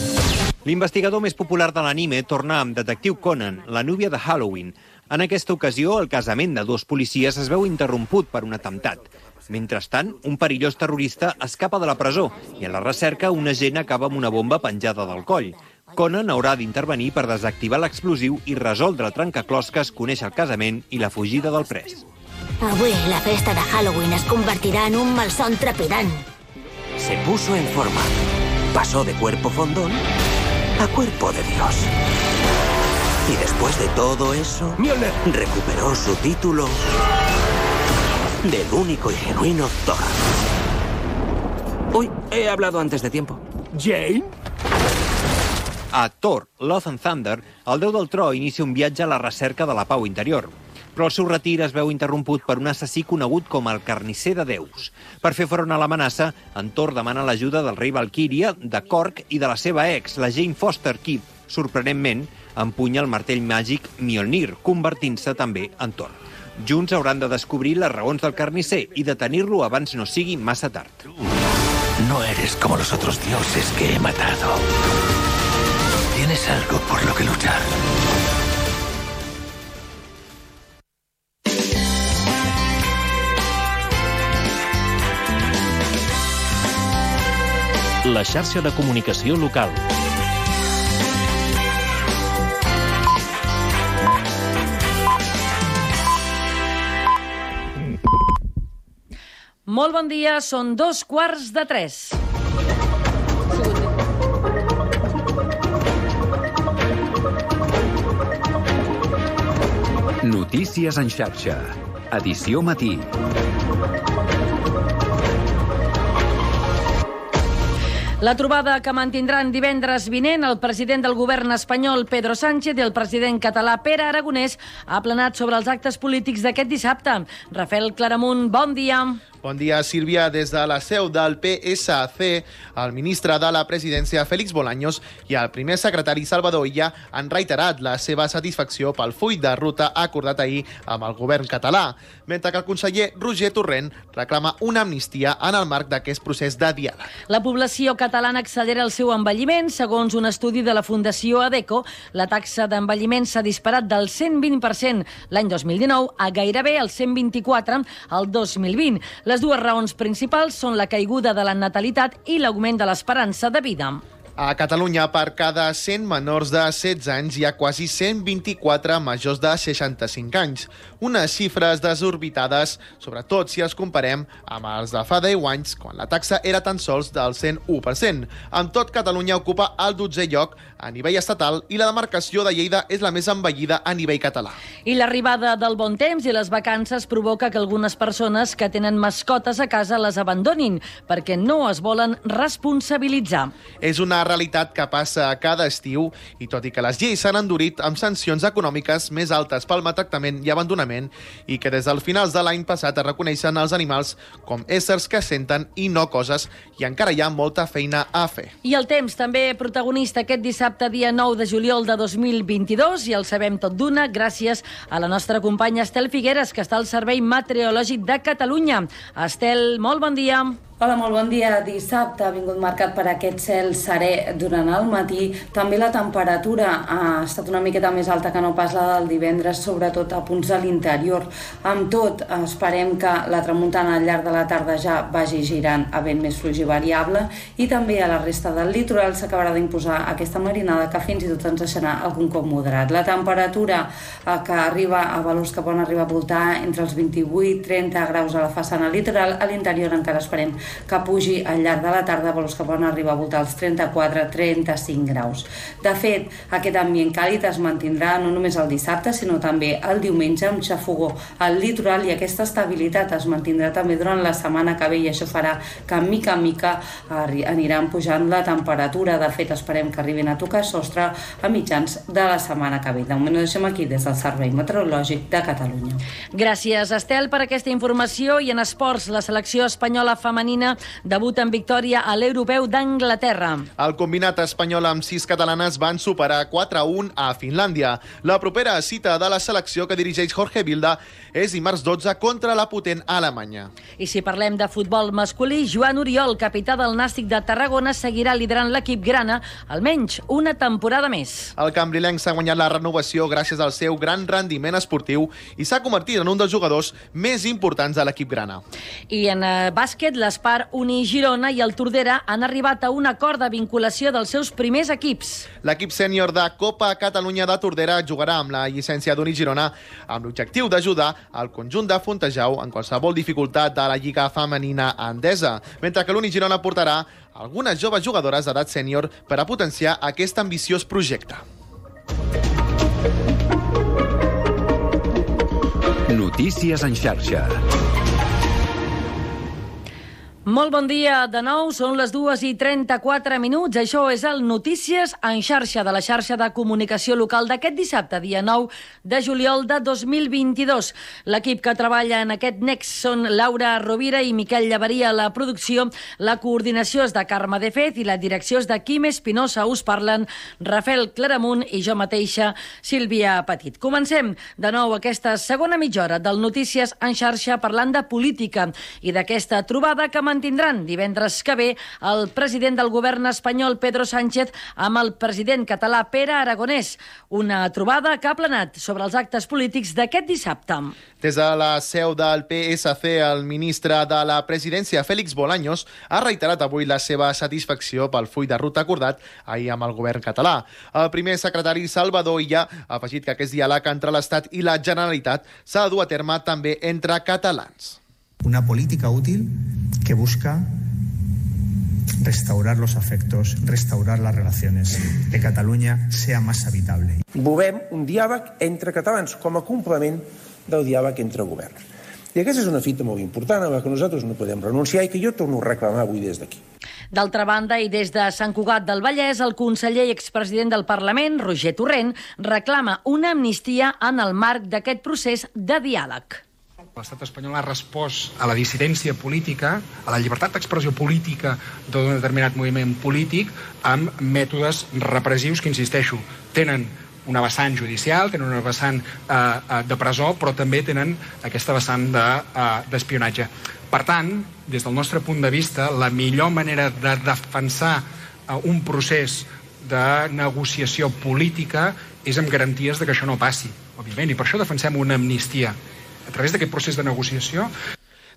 L'investigador més popular de l'anime torna amb Detectiu Conan, la núvia de Halloween. En aquesta ocasió, el casament de dos policies es veu interromput per un atemptat. Mentrestant, un perillós terrorista escapa de la presó i en la recerca un agent acaba amb una bomba penjada del coll. Conan haurà d'intervenir per desactivar l'explosiu i resoldre el trencaclosques, conèixer el casament i la fugida del pres. Avui la festa de Halloween es convertirà en un malson trepidant. Se puso en forma. Pasó de cuerpo fondón a cuerpo de Dios. Y después de todo eso, Mjolnir recuperó su título del único y genuino Thor. Uy, he hablado antes de tiempo. ¿Jane? A Thor, Love and Thunder, el déu del tro inicia un viatge a la recerca de la pau interior. Però el seu retir es veu interromput per un assassí conegut com el carnisser de déus. Per fer front a l'amenaça, en Thor demana l'ajuda del rei Valkyria, de Korg i de la seva ex, la Jane Foster, qui, sorprenentment, empunya el martell màgic Mjolnir, convertint-se també en Thor. Junts hauran de descobrir les raons del carnisser i detenir-lo abans no sigui massa tard. No eres como los otros dioses que he matado. Tienes algo por lo que luchar. La xarxa de comunicació local. Molt bon dia, són 2:15. Notícies en xarxa. Edició matí. La trobada que mantindran divendres vinent el president del govern espanyol, Pedro Sánchez, i el president català, Pere Aragonès, ha planat sobre els actes polítics d'aquest dissabte. Rafael Claramunt, bon dia. Bon dia, Sílvia. Des de la seu del PSC, el ministre de la Presidència, Félix Bolaños, i el primer secretari, Salvador Illa, han reiterat la seva satisfacció pel full de ruta acordat ahir amb el govern català, mentre que el conseller Roger Torrent reclama una amnistia en el marc d'aquest procés de diàleg. La població catalana accelera el seu envelliment. Segons un estudi de la Fundació ADECO, la taxa d'envelliment s'ha disparat del 120% l'any 2019 a gairebé el 124% el 2020. Les dues raons principals són la caiguda de la natalitat i l'augment de l'esperança de vida. A Catalunya, per cada 100 menors de 16 anys, hi ha quasi 124 majors de 65 anys. Unes xifres desorbitades, sobretot si els comparem amb els de fa 10 anys, quan la taxa era tan sols del 101%. Amb tot, Catalunya ocupa el 12è lloc a nivell estatal i la demarcació de Lleida és la més envellida a nivell català. I l'arribada del bon temps i les vacances provoca que algunes persones que tenen mascotes a casa les abandonin perquè no es volen responsabilitzar. És una realitat que passa cada estiu i tot i que les lleis s'han endurit amb sancions econòmiques més altes pel maltractament i abandonament i que des del finals de l'any passat es reconeixen els animals com éssers que senten i no coses, i encara hi ha molta feina a fer. I el temps també protagonista aquest dissabte, dia 9 de juliol de 2022, i el sabem tot d'una gràcies a la nostra companya Estel Figueres, que està al Servei Meteorològic de Catalunya. Estel, molt bon dia. Hola, molt bon dia. Dissabte ha vingut marcat per aquest cel serè durant el matí. També la temperatura ha estat una miqueta més alta que no pas la del divendres, sobretot a punts de l'interior. Amb tot, esperem que la tramuntana al llarg de la tarda ja vagi girant a vent més fluix i variable, i també a la resta del litoral s'acabarà d'imposar aquesta marinada que fins i tot ens deixarà algun cop moderat. La temperatura que arriba a valors que poden arribar a voltar entre els 28-30 graus a la façana litoral, a l'interior encara esperem que pugi al llarg de la tarda, valors que poden arribar a voltar als 34-35 graus. De fet, aquest ambient càlid es mantindrà no només el dissabte, sinó també el diumenge, amb xafogó al litoral, i aquesta estabilitat es mantindrà també durant la setmana que ve, i això farà que mica en mica aniran pujant la temperatura. De fet, esperem que arribin a tocar sostre a mitjans de la setmana que ve. De moment ho deixem aquí des del Servei Meteorològic de Catalunya. Gràcies, Estel, per aquesta informació. I en esports, la selecció espanyola femenina debuta en victòria a l'Europeu d'Anglaterra. El combinat espanyol amb 6 catalanes van superar 4-1 a Finlàndia. La propera cita de la selecció que dirigeix Jorge Vilda és dimarts 12 contra la potent Alemanya. I si parlem de futbol masculí, Joan Oriol, capità del Nàstic de Tarragona, seguirà liderant l'equip grana almenys una temporada més. El cambrilenc s'ha guanyat la renovació gràcies al seu gran rendiment esportiu i s'ha convertit en un dels jugadors més importants de l'equip grana. I en bàsquet, l'Espar, Uni Girona i el Tordera han arribat a un acord de vinculació dels seus primers equips. L'equip sènior de Copa Catalunya de Tordera jugarà amb la llicència d'Uni Girona amb l'objectiu d'ajudar al conjunt de Fontejau en qualsevol dificultat de la Lliga Femenina Endesa, mentre que l'Uni Girona portarà algunes joves jugadores d'edat sènior per a potenciar aquest ambiciós projecte. Notícies en xarxa. Molt bon dia de nou, són les 2:34. Això és el Notícies en xarxa de la xarxa de comunicació local d'aquest dissabte, dia 9 de juliol de 2022. L'equip que treballa en aquest next són Laura Rovira i Miquel Llaveria a la producció, la coordinació és de Carme de Fet i la direcció és de Quim Espinosa. Us parlen Rafael Claramunt i jo mateixa, Sílvia Petit. Comencem de nou aquesta segona mitja hora del Notícies en xarxa parlant de política i d'aquesta trobada que mantindran divendres que ve el president del govern espanyol, Pedro Sánchez, amb el president català, Pere Aragonès. Una trobada que ha planat sobre els actes polítics d'aquest dissabte. Des de la seu del PSC, el ministre de la presidència, Félix Bolaños, ha reiterat avui la seva satisfacció pel full de ruta acordat ahir amb el govern català. El primer secretari, Salvador Illa, ha afegit que aquest diàleg entre l'Estat i la Generalitat s'ha de dur a terme també entre catalans. Una política útil que busca restaurar los afectos, restaurar las relaciones, que Catalunya sea más habitable. Volem un diàleg entre catalans com a complement del diàleg entre governs. I aquesta és una fita molt important a la que nosaltres no podem renunciar i que jo torno a reclamar avui des d'aquí. D'altra banda, i des de Sant Cugat del Vallès, el conseller i expresident del Parlament, Roger Torrent, reclama una amnistia en el marc d'aquest procés de diàleg. L'estat espanyol ha respost a la dissidència política, a la llibertat d'expressió política d'un determinat moviment polític amb mètodes repressius que, insisteixo, tenen una vessant judicial, tenen una vessant de presó, però també tenen aquesta vessant d'espionatge. Per tant, des del nostre punt de vista, la millor manera de defensar un procés de negociació política és amb garanties de que això no passi, òbviament, i per això defensem una amnistia a través d'aquest procés de negociació.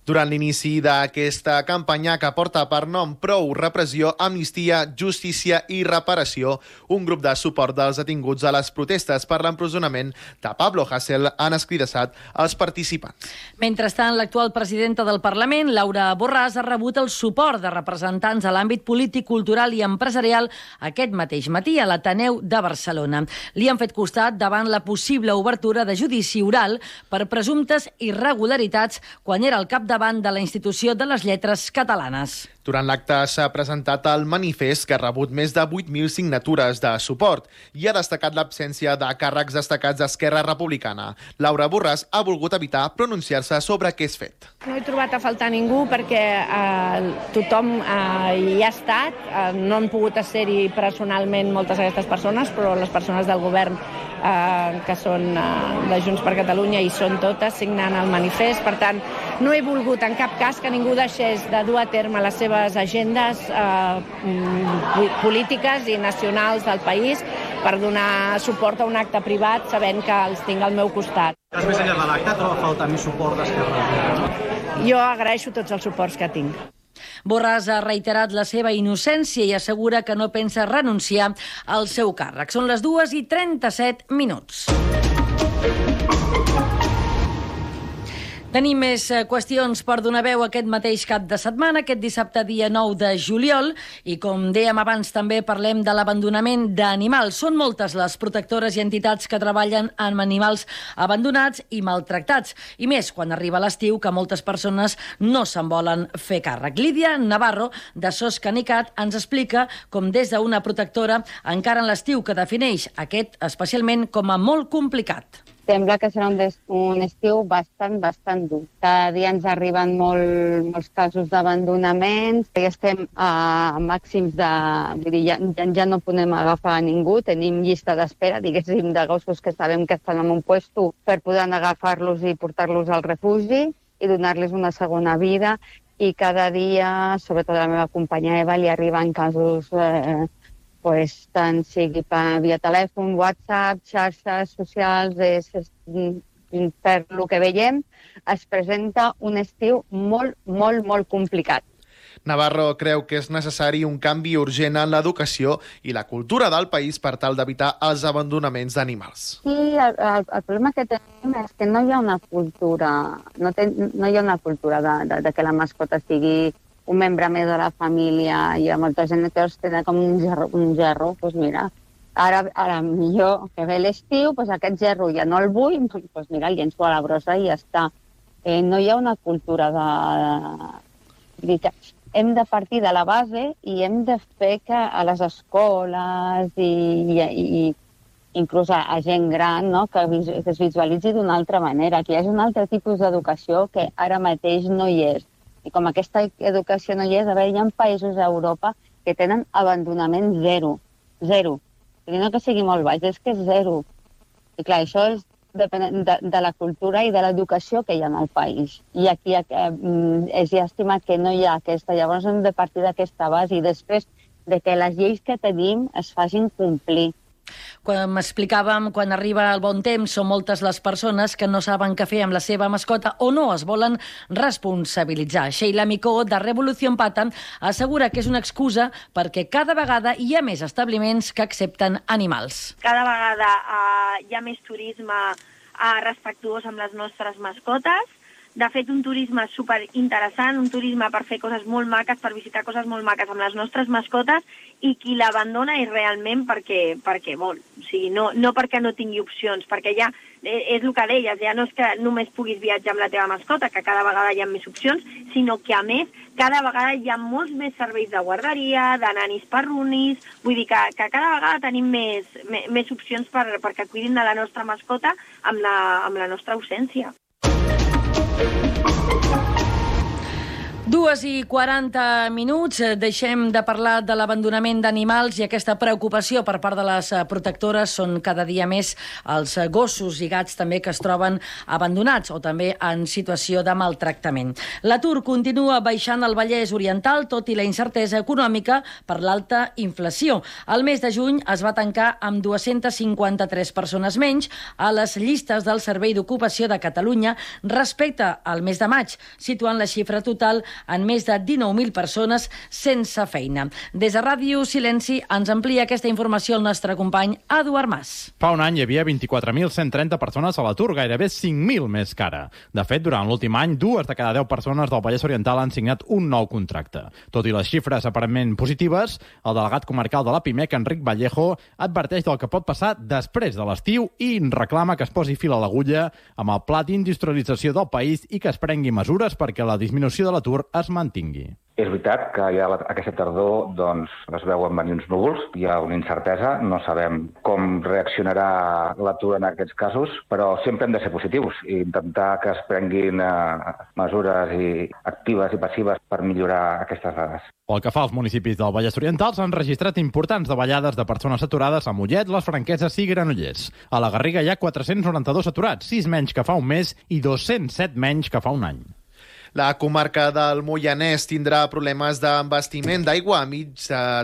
Durant l'inici d'aquesta campanya que porta per nom Prou repressió, amnistia, justícia i reparació, un grup de suport dels detinguts a les protestes per l'empresonament de Pablo Hasél han escridassat els participants. Mentrestant, l'actual presidenta del Parlament, Laura Borràs, ha rebut el suport de representants a l'àmbit polític, cultural i empresarial aquest mateix matí a l'Ateneu de Barcelona. Li han fet costat davant la possible obertura de judici oral per presumptes irregularitats quan era el capdavant de la Institució de les Lletres Catalanes. Durant l'acte s'ha presentat el manifest que ha rebut més de 8.000 signatures de suport i ha destacat l'absència de càrrecs destacats d'Esquerra Republicana. Laura Borràs ha volgut evitar pronunciar-se sobre aquest fet. No he trobat a faltar ningú perquè tothom hi ha estat. No han pogut ser-hi personalment moltes d'aquestes persones, però les persones del govern que són de Junts per Catalunya i són totes signant el manifest. Per tant, no he volgut en cap cas que ningú deixés de dur a terme les seves agendes polítiques i nacionals del país per donar suport a un acte privat sabent que els tinc al meu costat. Més enllà de l'acte, troba falta més suport d'Esquerra? Jo agraeixo tots els suports que tinc. Borràs ha reiterat la seva innocència i assegura que no pensa renunciar al seu càrrec. Són les 2:37. Tenim més qüestions per donar veu aquest mateix cap de setmana, aquest dissabte dia 9 de juliol, i com dèiem abans també parlem de l'abandonament d'animals. Són moltes les protectores i entitats que treballen amb animals abandonats i maltractats, i més quan arriba l'estiu que moltes persones no se'n volen fer càrrec. Lídia Navarro, de SOS Canicat, ens explica com des d'una protectora encaren l'estiu que defineix aquest especialment com a molt complicat. Sembla que serà un estiu bastant dur. Cada dia ens arriben molts casos d'abandonaments, i estem a màxims vull dir, ja no podem agafar a ningú, tenim llista d'espera, diguéssim, de gossos que sabem que estan en un puesto per poder agafar-los i portar-los al refugi i donar-los una segona vida, i cada dia, sobretot a la meva companya Eva, li arriben casos tant sigui via telèfon, WhatsApp, xarxes socials, per lo que veiem, es presenta un estiu molt complicat. Navarro creu que és necessari un canvi urgent en l'educació i la cultura del país per tal d'evitar els abandonaments d'animals. Sí, el problema que tenim és que no hi ha una cultura, no hi ha una cultura de que la mascota sigui un membre més de la família. Hi ha molta gent que els tenen com un gerro. Doncs mira, ara millor que ve l'estiu, aquest gerro ja no el vull, doncs mira, el llenço a la brossa i ja està. No hi ha una cultura hem de partir de la base i hem de fer que a les escoles i inclús a gent gran, no? que es visualitzi d'una altra manera, que hi hagi un altre tipus d'educació que ara mateix no hi és. I com aquesta educació no hi és, hi ha països a Europa que tenen abandonament zero. I no que sigui molt baix, és que és zero. I clar, això depèn de la cultura i de l'educació que hi ha en el país. I aquí és llàstima que no hi ha aquesta. Llavors hem de partir d'aquesta base i després de que les lleis que tenim es facin complir. Quan m'explicàvem, quan arriba el bon temps, són moltes les persones que no saben què fer amb la seva mascota o no es volen responsabilitzar. Sheila Micó, de Revolución Pata, assegura que és una excusa perquè cada vegada hi ha més establiments que accepten animals. Cada vegada hi ha més turisme respectuós amb les nostres mascotes. De fet, un turisme superinteressant, un turisme per fer coses molt maques, per visitar coses molt maques amb les nostres mascotes, i qui l'abandona és realment perquè vol. O sigui, no perquè no tingui opcions, perquè ja és el que deies, ja no és que només puguis viatjar amb la teva mascota, que cada vegada hi ha més opcions, sinó que, a més, cada vegada hi ha molts més serveis de guarderia, de nanis perrunis, vull dir que cada vegada tenim més opcions perquè cuidin de la nostra mascota amb la nostra ausència. 2:40. Deixem de parlar de l'abandonament d'animals i aquesta preocupació per part de les protectores. Són cada dia més els gossos i gats també que es troben abandonats o també en situació de maltractament. L'atur continua baixant al Vallès Oriental, tot i la incertesa econòmica per l'alta inflació. El mes de juny es va tancar amb 253 persones menys a les llistes del Servei d'Ocupació de Catalunya respecte al mes de maig, situant la xifra total en més de 19.000 persones sense feina. Des de Ràdio Silenci ens amplia aquesta informació el nostre company Eduard Mas. Fa un any hi havia 24.130 persones a l'atur, gairebé 5.000 més que ara. De fet, durant l'últim any, 2 de cada 10 persones del Vallès Oriental han signat un nou contracte. Tot i les xifres aparentment positives, el delegat comarcal de la PIMEC, Enric Vallejo, adverteix del que pot passar després de l'estiu i reclama que es posi fil a l'agulla amb el pla d'industrialització del país i que es prengui mesures perquè la disminució de l'atur es mantingui. És veritat que ja aquesta tardor es veuen venir uns núvols, hi ha una incertesa, no sabem com reaccionarà l'atur en aquests casos, però sempre hem de ser positius i intentar que es prenguin mesures actives i passives per millorar aquestes dades. Pel que fa als municipis del Vallès Oriental, s'han registrat importants davallades de persones aturades a Mollet, les Franqueses i Granollers. A la Garriga hi ha 492 aturats, 6 menys que fa un mes i 207 menys que fa un any. La comarca del Moianès tindrà problemes d'abastiment d'aigua a mig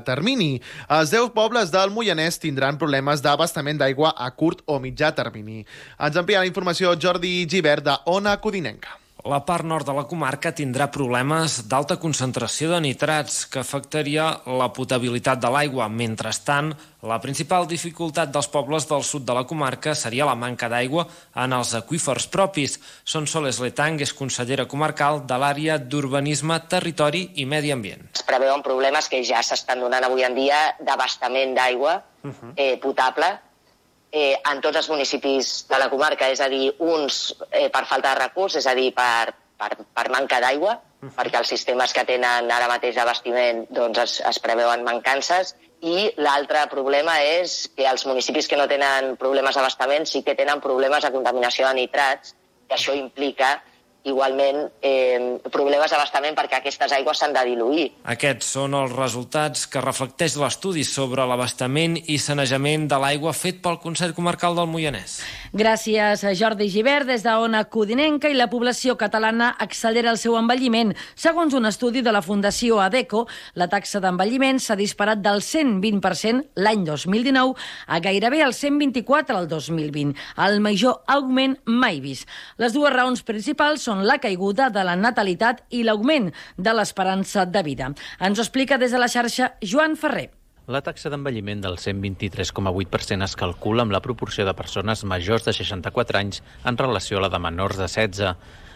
termini. Els 10 pobles del Moianès tindran problemes d'abastament d'aigua a curt o mitjà termini. Ens amplia la informació Jordi Gibert, de Ona Codinenca. La part nord de la comarca tindrà problemes d'alta concentració de nitrats que afectaria la potabilitat de l'aigua. Mentrestant, la principal dificultat dels pobles del sud de la comarca seria la manca d'aigua en els aqüífers propis. Sonsoles Letang és consellera comarcal de l'àrea d'Urbanisme, Territori i Medi Ambient. Es preveuen problemes que ja s'estan donant avui en dia d'abastament d'aigua potable en tots els municipis de la comarca, és a dir, uns per falta de recursos, és a dir, per manca d'aigua, perquè els sistemes que tenen ara mateix d'abastiment es preveuen mancances, i l'altre problema és que els municipis que no tenen problemes d'abastament sí que tenen problemes de contaminació de nitrats, que això implica igualment problemes d'abastament perquè aquestes aigües s'han de diluir. Aquests són els resultats que reflecteix l'estudi sobre l'abastament i sanejament de l'aigua fet pel Consell Comarcal del Moianès. Gràcies a Jordi Gibert des d'Ona Codinenca. I la població catalana accelera el seu envelliment. Segons un estudi de la Fundació ADECO, la taxa d'envelliment s'ha disparat del 120% l'any 2019 a gairebé el 124% el 2020, el major augment mai vist. Les dues raons principals són la caiguda de la natalitat i l'augment de l'esperança de vida. Ens ho explica des de la xarxa Joan Ferrer. La taxa d'envelliment del 123,8% es calcula amb la proporció de persones majors de 64 anys en relació a la de menors de 16.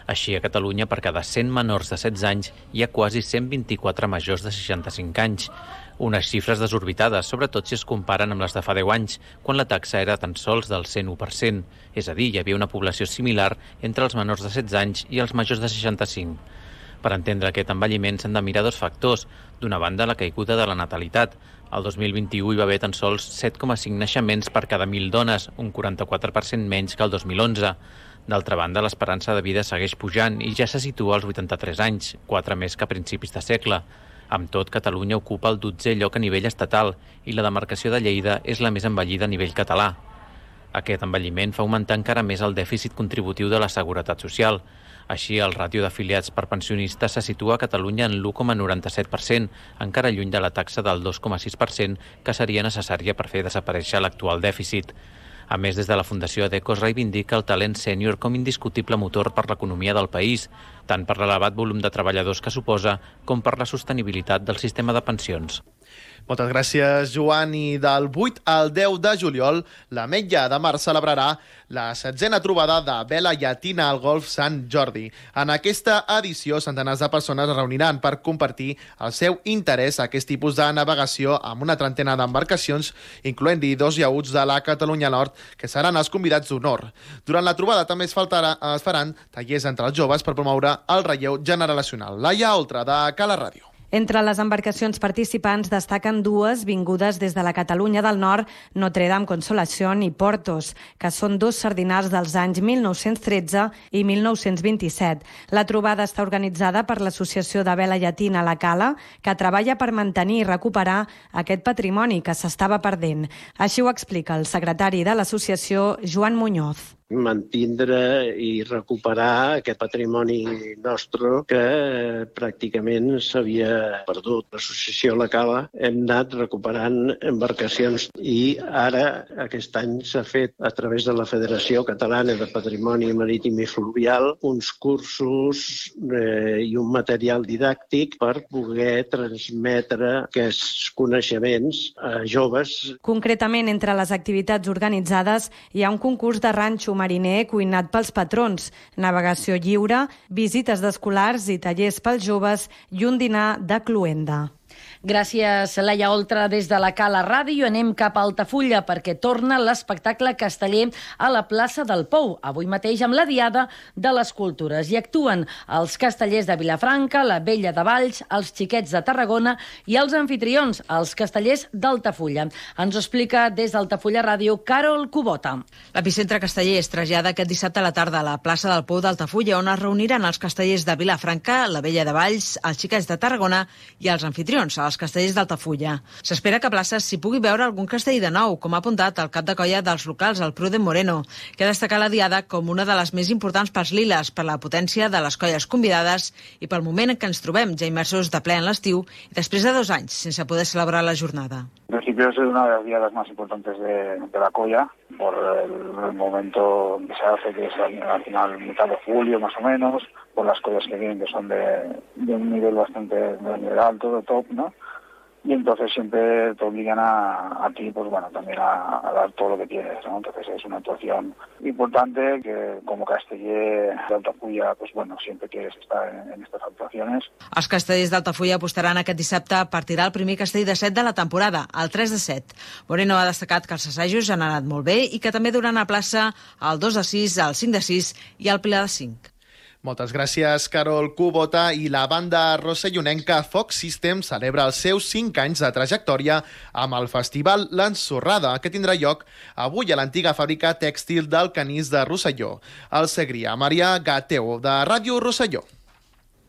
Així, a Catalunya, per cada 100 menors de 16 anys, hi ha quasi 124 majors de 65 anys. Unes xifres desorbitades, sobretot si es comparen amb les de fa 10 anys, quan la taxa era tan sols del 101%. És a dir, hi havia una població similar entre els menors de 16 anys i els majors de 65. Per entendre aquest envelliment s'han de mirar dos factors. D'una banda, la caiguda de la natalitat. El 2021 hi va haver tan sols 7,5 naixements per cada 1.000 dones, un 44% menys que el 2011. D'altra banda, l'esperança de vida segueix pujant i ja se situa als 83 anys, 4 més que a principis de segle. Amb tot, Catalunya ocupa el 12è lloc a nivell estatal i la demarcació de Lleida és la més envellida a nivell català. Aquest envelliment fa augmentar encara més el dèficit contributiu de la Seguretat Social. Així, el ràtio d'afiliats per pensionistes se situa a Catalunya en l'1,97%, encara lluny de la taxa del 2,6% que seria necessària per fer desaparèixer l'actual dèficit. A més, des de la Fundació Adeco es reivindica el talent sènior com indiscutible motor per l'economia del país, tant per l'elevat volum de treballadors que suposa com per la sostenibilitat del sistema de pensions. Moltes gràcies, Joan. I del 8 al 10 de juliol, l'Ametlla de Mar celebrarà la 7a trobada de vela llatina al Golf Sant Jordi. En aquesta edició, centenars de persones es reuniran per compartir el seu interès a aquest tipus de navegació amb una trentena d'embarcacions, incloent-hi 2 iauts de la Catalunya Nord, que seran els convidats d'honor. Durant la trobada també es faran tallers entre els joves per promoure el relleu generacional. Laia Oltra, de Cala Ràdio. Entre les embarcacions participants destaquen 2 vingudes des de la Catalunya del Nord, Notre Dame Consolación i Portos, que són 2 sardinals dels anys 1913 i 1927. La trobada està organitzada per l'Associació de Vela Llatina La Cala, que treballa per mantenir i recuperar aquest patrimoni que s'estava perdent. Així ho explica el secretari de l'associació, Joan Muñoz. Mantindre i recuperar aquest patrimoni nostre que pràcticament s'havia perdut. L'associació La Cala hem anat recuperant embarcacions i ara aquest any s'ha fet a través de la Federació Catalana de Patrimoni Marítim i Fluvial uns cursos i un material didàctic per poder transmetre aquests coneixements a joves. Concretament, entre les activitats organitzades hi ha un concurs de ranxo mariner cuinat pels patrons, navegació lliure, visites d'escolars i tallers pels joves i un dinar de cloenda. Gràcies, Laia Oltra. Des de la Cala Ràdio anem cap a Altafulla perquè torna l'espectacle casteller a la plaça del Pou, avui mateix amb la Diada de les Cultures. Hi actuen els castellers de Vilafranca, la Vella de Valls, els Xiquets de Tarragona i els anfitrions, els castellers d'Altafulla. Ens ho explica des d'Altafulla Ràdio Carol Cubota. L'epicentre casteller es trasllada aquest dissabte a la tarda a la plaça del Pou d'Altafulla, on es reuniran els castellers de Vilafranca, la Vella de Valls, els Xiquets de Tarragona i els anfitrions, els castellers d'Altafulla. S'espera que a places s'hi pugui veure algun castell de nou, com ha apuntat el cap de colla dels locals, el Pruden Moreno, que ha destacat la Diada com una de les més importants pels liles, per la potència de les colles convidades i pel moment en què ens trobem, ja immersos de ple en l'estiu i després de 2 anys sense poder celebrar la jornada. En principio es una de las diadas más importantes de la colla, por el momento que se hace, que es al final mitad de julio más o menos, por las collas que vienen, que son de un nivel bastante alto, de top, ¿no? Y entonces siempre te obligan a ti, pues bueno, también a dar todo lo que tienes, ¿no? Entonces es una actuación importante que como casteller de Altafulla, pues bueno, siempre quieres estar en estas actuaciones. Els castellers d'Altafulla apostaran aquest dissabte per tirar el primer castell de 7 de la temporada, el 3 de 7. Moreno ha destacat que els assajos han anat molt bé i que també duran a plaça el 2 de 6, el 5 de 6 i el Pilar de 5. Moltes gràcies, Carol Cubota. I la banda rossellonenca Fox System celebra els seus 5 anys de trajectòria amb el festival L'Ensorrada, que tindrà lloc avui a l'antiga fàbrica tèxtil del Canís de Rosselló. El seguiria Maria Gateo, de Ràdio Rosselló.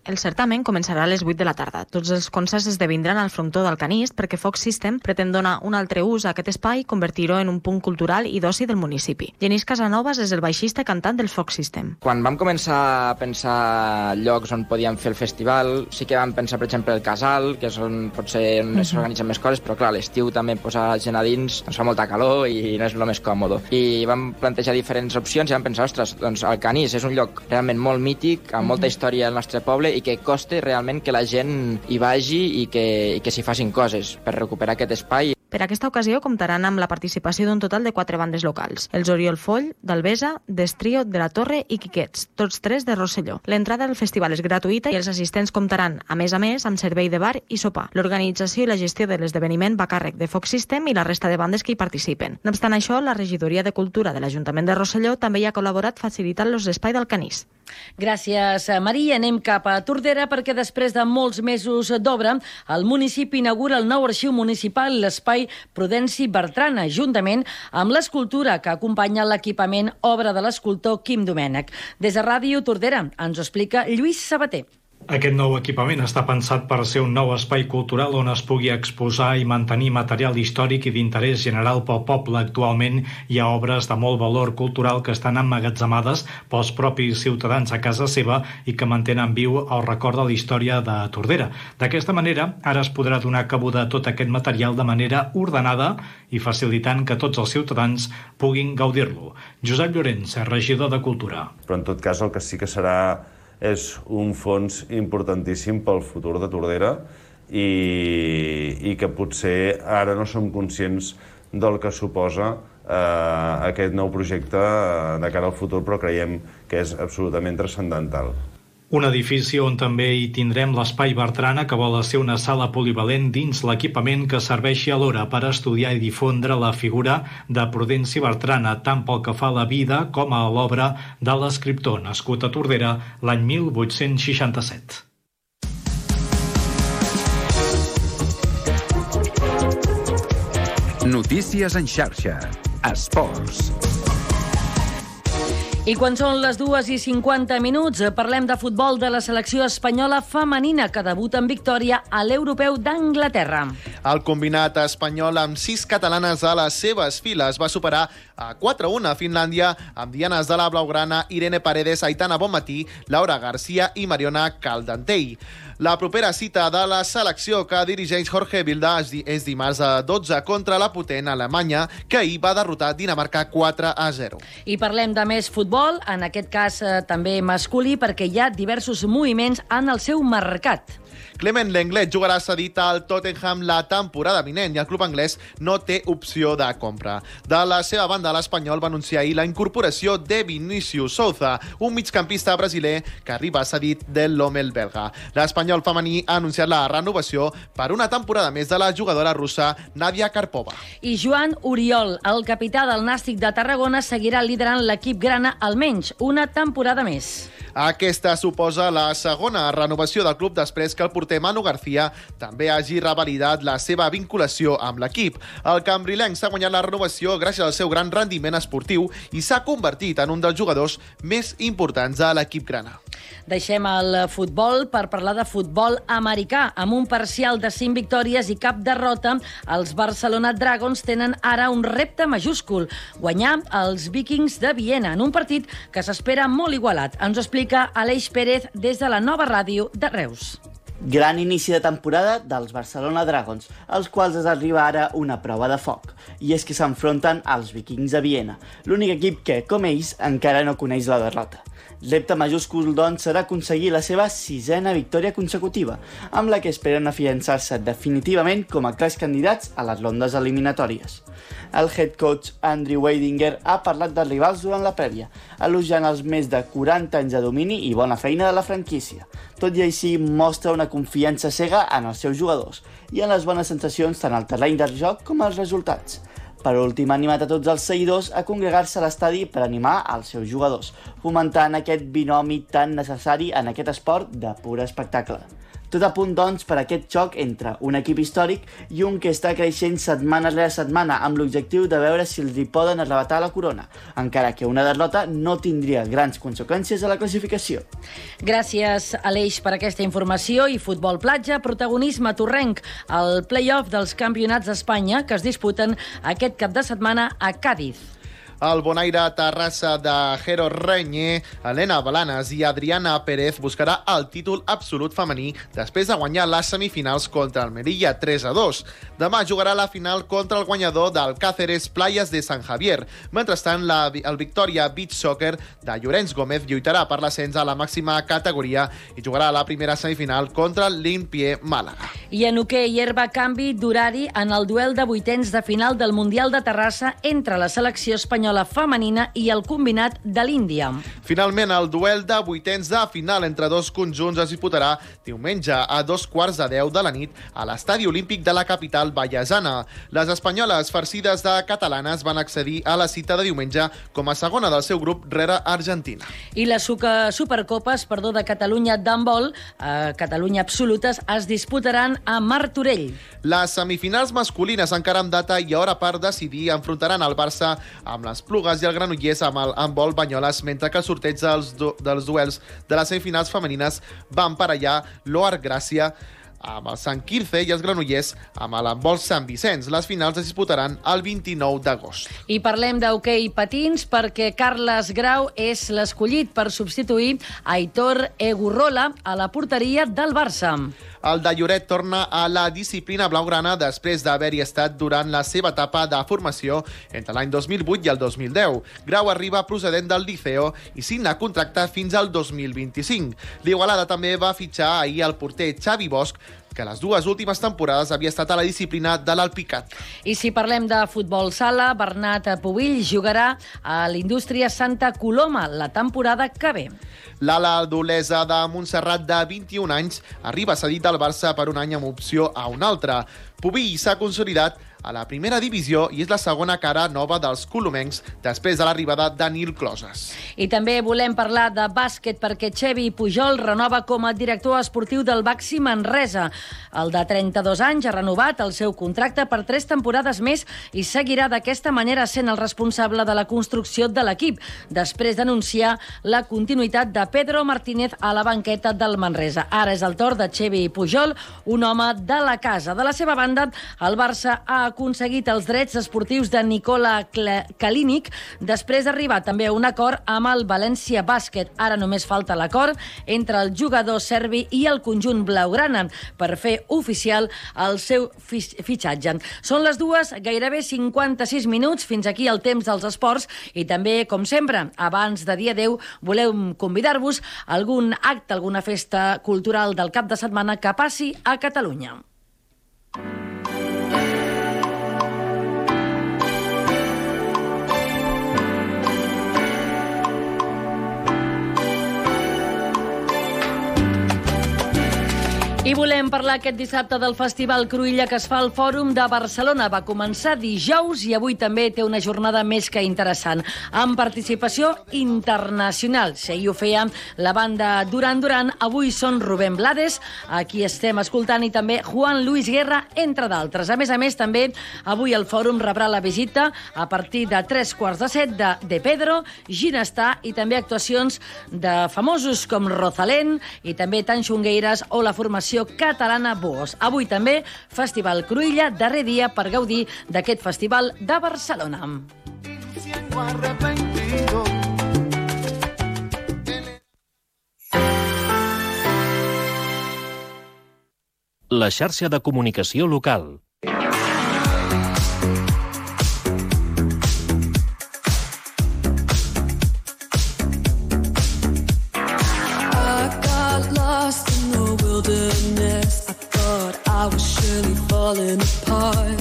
El certamen començarà a les 8 de la tarda. Tots els concerts esdevindran al frontó del Canist perquè Fox System pretén donar un altre ús a aquest espai i convertir-ho en un punt cultural i d'oci del municipi. Genís Casanovas és el baixista cantant del Fox System. Quan vam començar a pensar llocs on podíem fer el festival, sí que vam pensar, per exemple, el Casal, que és on potser s'organitzen més coses, però clar, l'estiu també posar gent a dins ens fa molta calor i no és el més còmode. I vam plantejar diferents opcions i vam pensar, ostres, doncs el Canís és un lloc realment molt mític, amb molta història al nostre poble i que costa realment que la gent hi vagi i que s'hi facin coses per recuperar aquest espai. Per aquesta ocasió comptaran amb la participació d'un total de 4 bandes locals. Els Oriol Foll, d'Albesa, Destrio, de la Torre i Quiquets, tots 3 de Rosselló. L'entrada al festival és gratuïta i els assistents comptaran, a més, amb servei de bar i sopar. L'organització i la gestió de l'esdeveniment va a càrrec de Fox System i la resta de bandes que hi participen. No obstant això, la Regidoria de Cultura de l'Ajuntament de Rosselló també hi ha col·laborat facilitant-los l'espai del Canís. Gràcies, Maria. Anem cap a Tordera perquè després de molts mesos d'obra, el municipi inaugura el nou arxiu municipal, l'espai Prudenci Bertrana, juntament amb l'escultura que acompanya l'equipament, obra de l'escultor Quim Domènech. Des de Ràdio Tordera ens ho explica Lluís Sabater. Aquest nou equipament està pensat per ser un nou espai cultural on es pugui exposar i mantenir material històric i d'interès general pel poble. Actualment hi ha obres de molt valor cultural que estan emmagatzemades pels propis ciutadans a casa seva i que mantenen viu el record de la història de Tordera. D'aquesta manera, ara es podrà donar cabuda a tot aquest material de manera ordenada i facilitant que tots els ciutadans puguin gaudir-lo. Josep Llorenç, regidor de Cultura. Però en tot cas el que sí que serà és un fons importantíssim pel futur de Tordera i que potser ara no som conscients del que suposa aquest nou projecte de cara al futur, però creiem que és absolutament transcendental. Un edifici on també hi tindrem l'espai Bertrana, que vol ser una sala polivalent dins l'equipament que serveixi alhora per estudiar i difondre la figura de Prudenci Bertrana, tant pel que fa a la vida com a l'obra de l'escriptor, nascut a Tordera l'any 1867. Notícies en xarxa. Esports. I quan són les 2:50, parlem de futbol de la selecció espanyola femenina que debuta en victòria a l'Europeu d'Anglaterra. El combinat espanyol amb 6 catalanes a les seves files va superar a 4-1 a Finlàndia amb dianes de la blaugrana Irene Paredes, Aitana Bonmatí, Laura García i Mariona Caldentell. La propera cita de la selecció que dirigeix Jorge Vilda és dimarts a 12 contra la potent Alemanya, que ahir va derrotar Dinamarca 4-0. I parlem de més futbol, en aquest cas també masculí, perquè hi ha diversos moviments en el seu mercat. Clement Lenglet jugarà cedit al Tottenham la temporada vinent i el club anglès no té opció de compra. De la seva banda, l'Espanyol va anunciar ahir la incorporació de Vinícius Souza, un migcampista brasiler que arriba cedit del Lommel belga. L'Espanyol femení ha anunciat la renovació per una temporada més de la jugadora russa Nadia Karpova. I Joan Oriol, el capità del Nàstic de Tarragona, seguirà liderant l'equip grana almenys una temporada més. Aquesta suposa la segona renovació del club després que el porter Manu García també hagi revalidat la seva vinculació amb l'equip. El cambrilenc s'ha guanyat la renovació gràcies al seu gran rendiment esportiu i s'ha convertit en un dels jugadors més importants de l'equip grana. Deixem el futbol per parlar de futbol americà. Amb un parcial de 5 victòries i cap derrota, els Barcelona Dragons tenen ara un repte majúscul: guanyar els Vikings de Viena en un partit que s'espera molt igualat. Ens ho explica Aleix Pérez des de la Nova Ràdio de Reus. Gran inici de temporada dels Barcelona Dragons, als quals es arriba ara una prova de foc. I és que s'enfronten als Vikings de Viena, l'únic equip que, com ells, encara no coneix la derrota. Repte majúscul, doncs, serà aconseguir la seva 6ª victòria consecutiva, amb la que esperen afiançar-se definitivament com a clars candidats a les rondes eliminatòries. El head coach Andrew Weidinger ha parlat dels rivals durant la prèvia, elogiant els més de 40 anys de domini i bona feina de la franquícia. Tot i així, mostra una confiança cega en els seus jugadors i en les bones sensacions tant al terreny del joc com als resultats. Per últim, ha animat a tots els seguidors a congregar-se a l'estadi per animar els seus jugadors, fomentant aquest binomi tan necessari en aquest esport de pur espectacle. Tot a punt, doncs, per aquest xoc entre un equip històric i un que està creixent setmana rere setmana amb l'objectiu de veure si els hi poden arrebatar la corona, encara que una derrota no tindria grans conseqüències a la classificació. Gràcies, Aleix, per aquesta informació. I futbol platja, protagonisme torrenc, el play-off dels campionats d'Espanya que es disputen aquest cap de setmana a Càdiz. El Bonaire Terrassa de Jero Reñé, Helena Balanes i Adriana Pérez buscarà el títol absolut femení després de guanyar les semifinals contra el Melilla 3-2. Demà jugarà la final contra el guanyador del Cáceres Playas de San Javier. Mentrestant, el Victoria Beach Soccer de Llorenç Gómez lluitarà per l'ascens a la màxima categoria i jugarà la primera semifinal contra el l'Impié Màlaga. I en hoquei herba, canvi d'horari en el duel de vuitens de final del Mundial de Terrassa entre la selecció espanyola femenina i el combinat de l'Índia. Finalment, el duel de vuitens de final entre dos conjunts es disputarà diumenge a 2:15 de la nit a l'Estadi Olímpic de la capital vallesana. Les espanyoles farcides de catalanes van accedir a la cita de diumenge com a segona del seu grup rere Argentina. I les Supercopes de Catalunya d'handbol, Catalunya absolutes, es disputaran a Martorell. Les semifinals masculines encara amb data i hora per decidir enfrontaran el Barça amb les Plugues i el Granollers amb el handbol Banyoles, mentre que el sorteig dels duels de les semifinals femenines van per allà l'Oar Gràcia amb el Sant Quirze i els Granollers amb l'handbol Sant Vicenç. Les finals es disputaran el 29 d'agost. I parlem d'hoquei patins perquè Carles Grau és l'escollit per substituir Aitor Egurrola a la porteria del Barça. El de Lloret torna a la disciplina blaugrana després d'haver-hi estat durant la seva etapa de formació entre l'any 2008 i el 2010. Grau arriba procedent del Liceo i signa contracte fins al 2025. L'Igualada també va fitxar ahir el porter Xavi Bosch, que les dues últimes temporades havia estat a la disciplina de l'Alpicat. I si parlem de futbol sala, Bernat Pubill jugarà a l'Indústria Santa Coloma la temporada que ve. L'ala d'Olesa de Montserrat, de 21 anys, arriba cedit al Barça per un any amb opció a un altre. Pubill s'ha consolidat a la primera divisió i és la segona cara nova dels colomencs després de l'arribada de Nil Closes. I també volem parlar de bàsquet perquè Xevi Pujol renova com a director esportiu del Baxi Manresa. El de 32 anys ha renovat el seu contracte per 3 temporades més i seguirà d'aquesta manera sent el responsable de la construcció de l'equip, després d'anunciar la continuïtat de Pedro Martínez a la banqueta del Manresa. Ara és el torn de Xevi Pujol, un home de la casa. De la seva banda, el Barça ha aconseguit els drets esportius de Nikola Kalinic després d'arribar també a un acord amb el València Bàsquet. Ara només falta l'acord entre el jugador serbi i el conjunt blaugrana per fer oficial el seu fitxatge. Són les 2, gairebé 56 minuts, fins aquí el temps dels esports i també, com sempre, abans de dia 10, volem convidar-vos a algun acte, alguna festa cultural del cap de setmana que passi a Catalunya. I volem parlar aquest dissabte del Festival Cruïlla que es fa al Fòrum de Barcelona. Va començar dijous i avui també té una jornada més que interessant, amb participació internacional. Si ahir ho feia la banda Duran Duran, avui són Rubén Blades, a qui estem escoltant, i també Juan Luis Guerra, entre d'altres. A més, també avui el Fòrum rebrà la visita a partir de 6:45 de Pedro, Ginestar i també actuacions de famosos com Rosalén i també Tan Xungueiras o la formació catalana Boos. Avui també Festival Cruïlla, darrer dia per gaudir d'aquest festival de Barcelona. La xarxa de comunicació local. I was surely falling apart.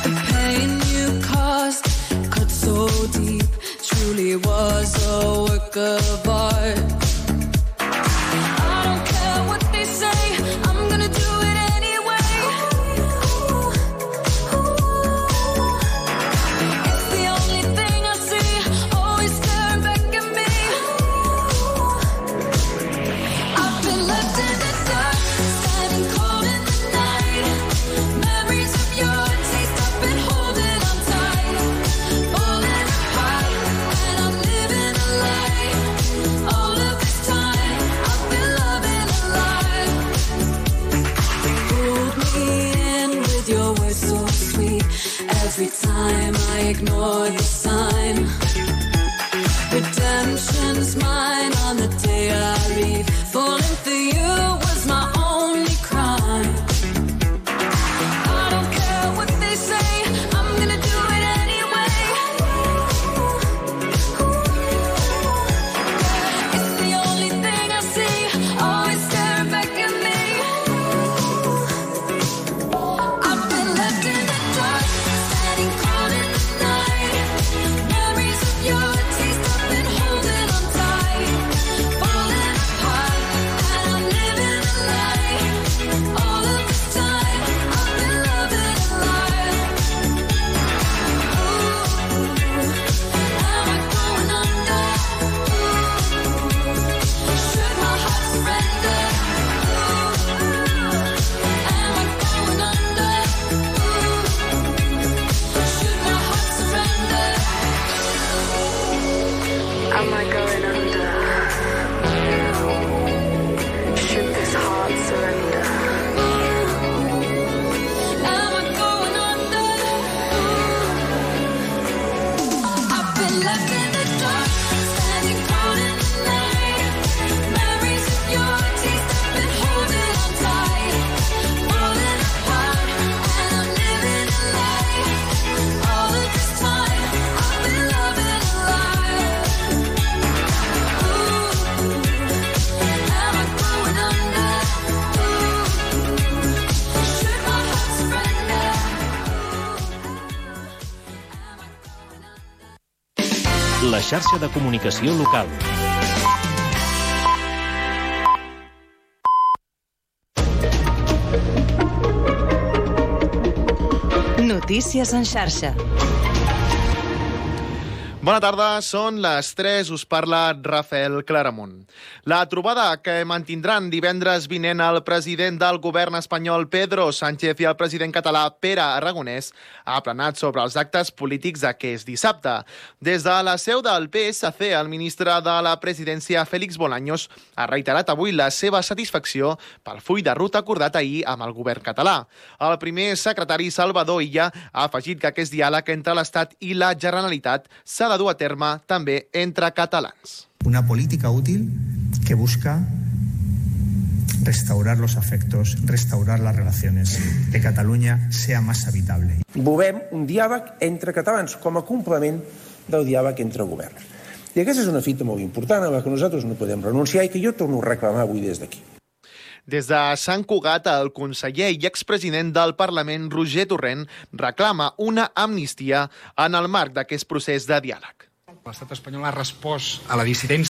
The pain you caused cut so deep, truly was a work of art. I don't care what they say, I'm gonna do it anyway. It's the only thing I see, always staring back at me. I've been left in the dark, standing cold in the night. Memories of your taste, I've been holding on tight. Falling apart, and I'm living a lie. All of this time, I've been loving a lie. Hold me in with your words so sweet. Every time I ignore the sign. Redemption's mine on the day I leave. Falling for you was my only crime. I don't care what they say, I'm gonna do it anyway. It's the only thing I see, always staring back at me. I've been left in the dark, standing cold in the night. Memories of your taste, I've been holding xarxa de comunicació local. Notícies en xarxa. Bona tarda, són les 3, us parla Rafael Claramunt. La trobada que mantindran divendres vinent el president del govern espanyol Pedro Sánchez i el president català Pere Aragonès ha planat sobre els actes polítics d'aquest dissabte. Des de la seu del PSC, el ministre de la presidència Félix Bolaños ha reiterat avui la seva satisfacció pel full de ruta acordat ahir amb el govern català. El primer secretari Salvador Illa ha afegit que aquest diàleg entre l'Estat i la Generalitat s'ha de dur a terme també entre catalans. Una política útil que busca restaurar los afectos, restaurar las relaciones, que Catalunya sea más habitable. Volem un diàleg entre catalans com a complement del diàleg entre governs. I aquesta és una fita molt important a la que nosaltres no podem renunciar i que jo torno a reclamar avui des d'aquí. Des de Sant Cugat, el conseller i expresident del Parlament, Roger Torrent, reclama una amnistia en el marc d'aquest procés de diàleg. L'estat espanyol ha respost a la dissidència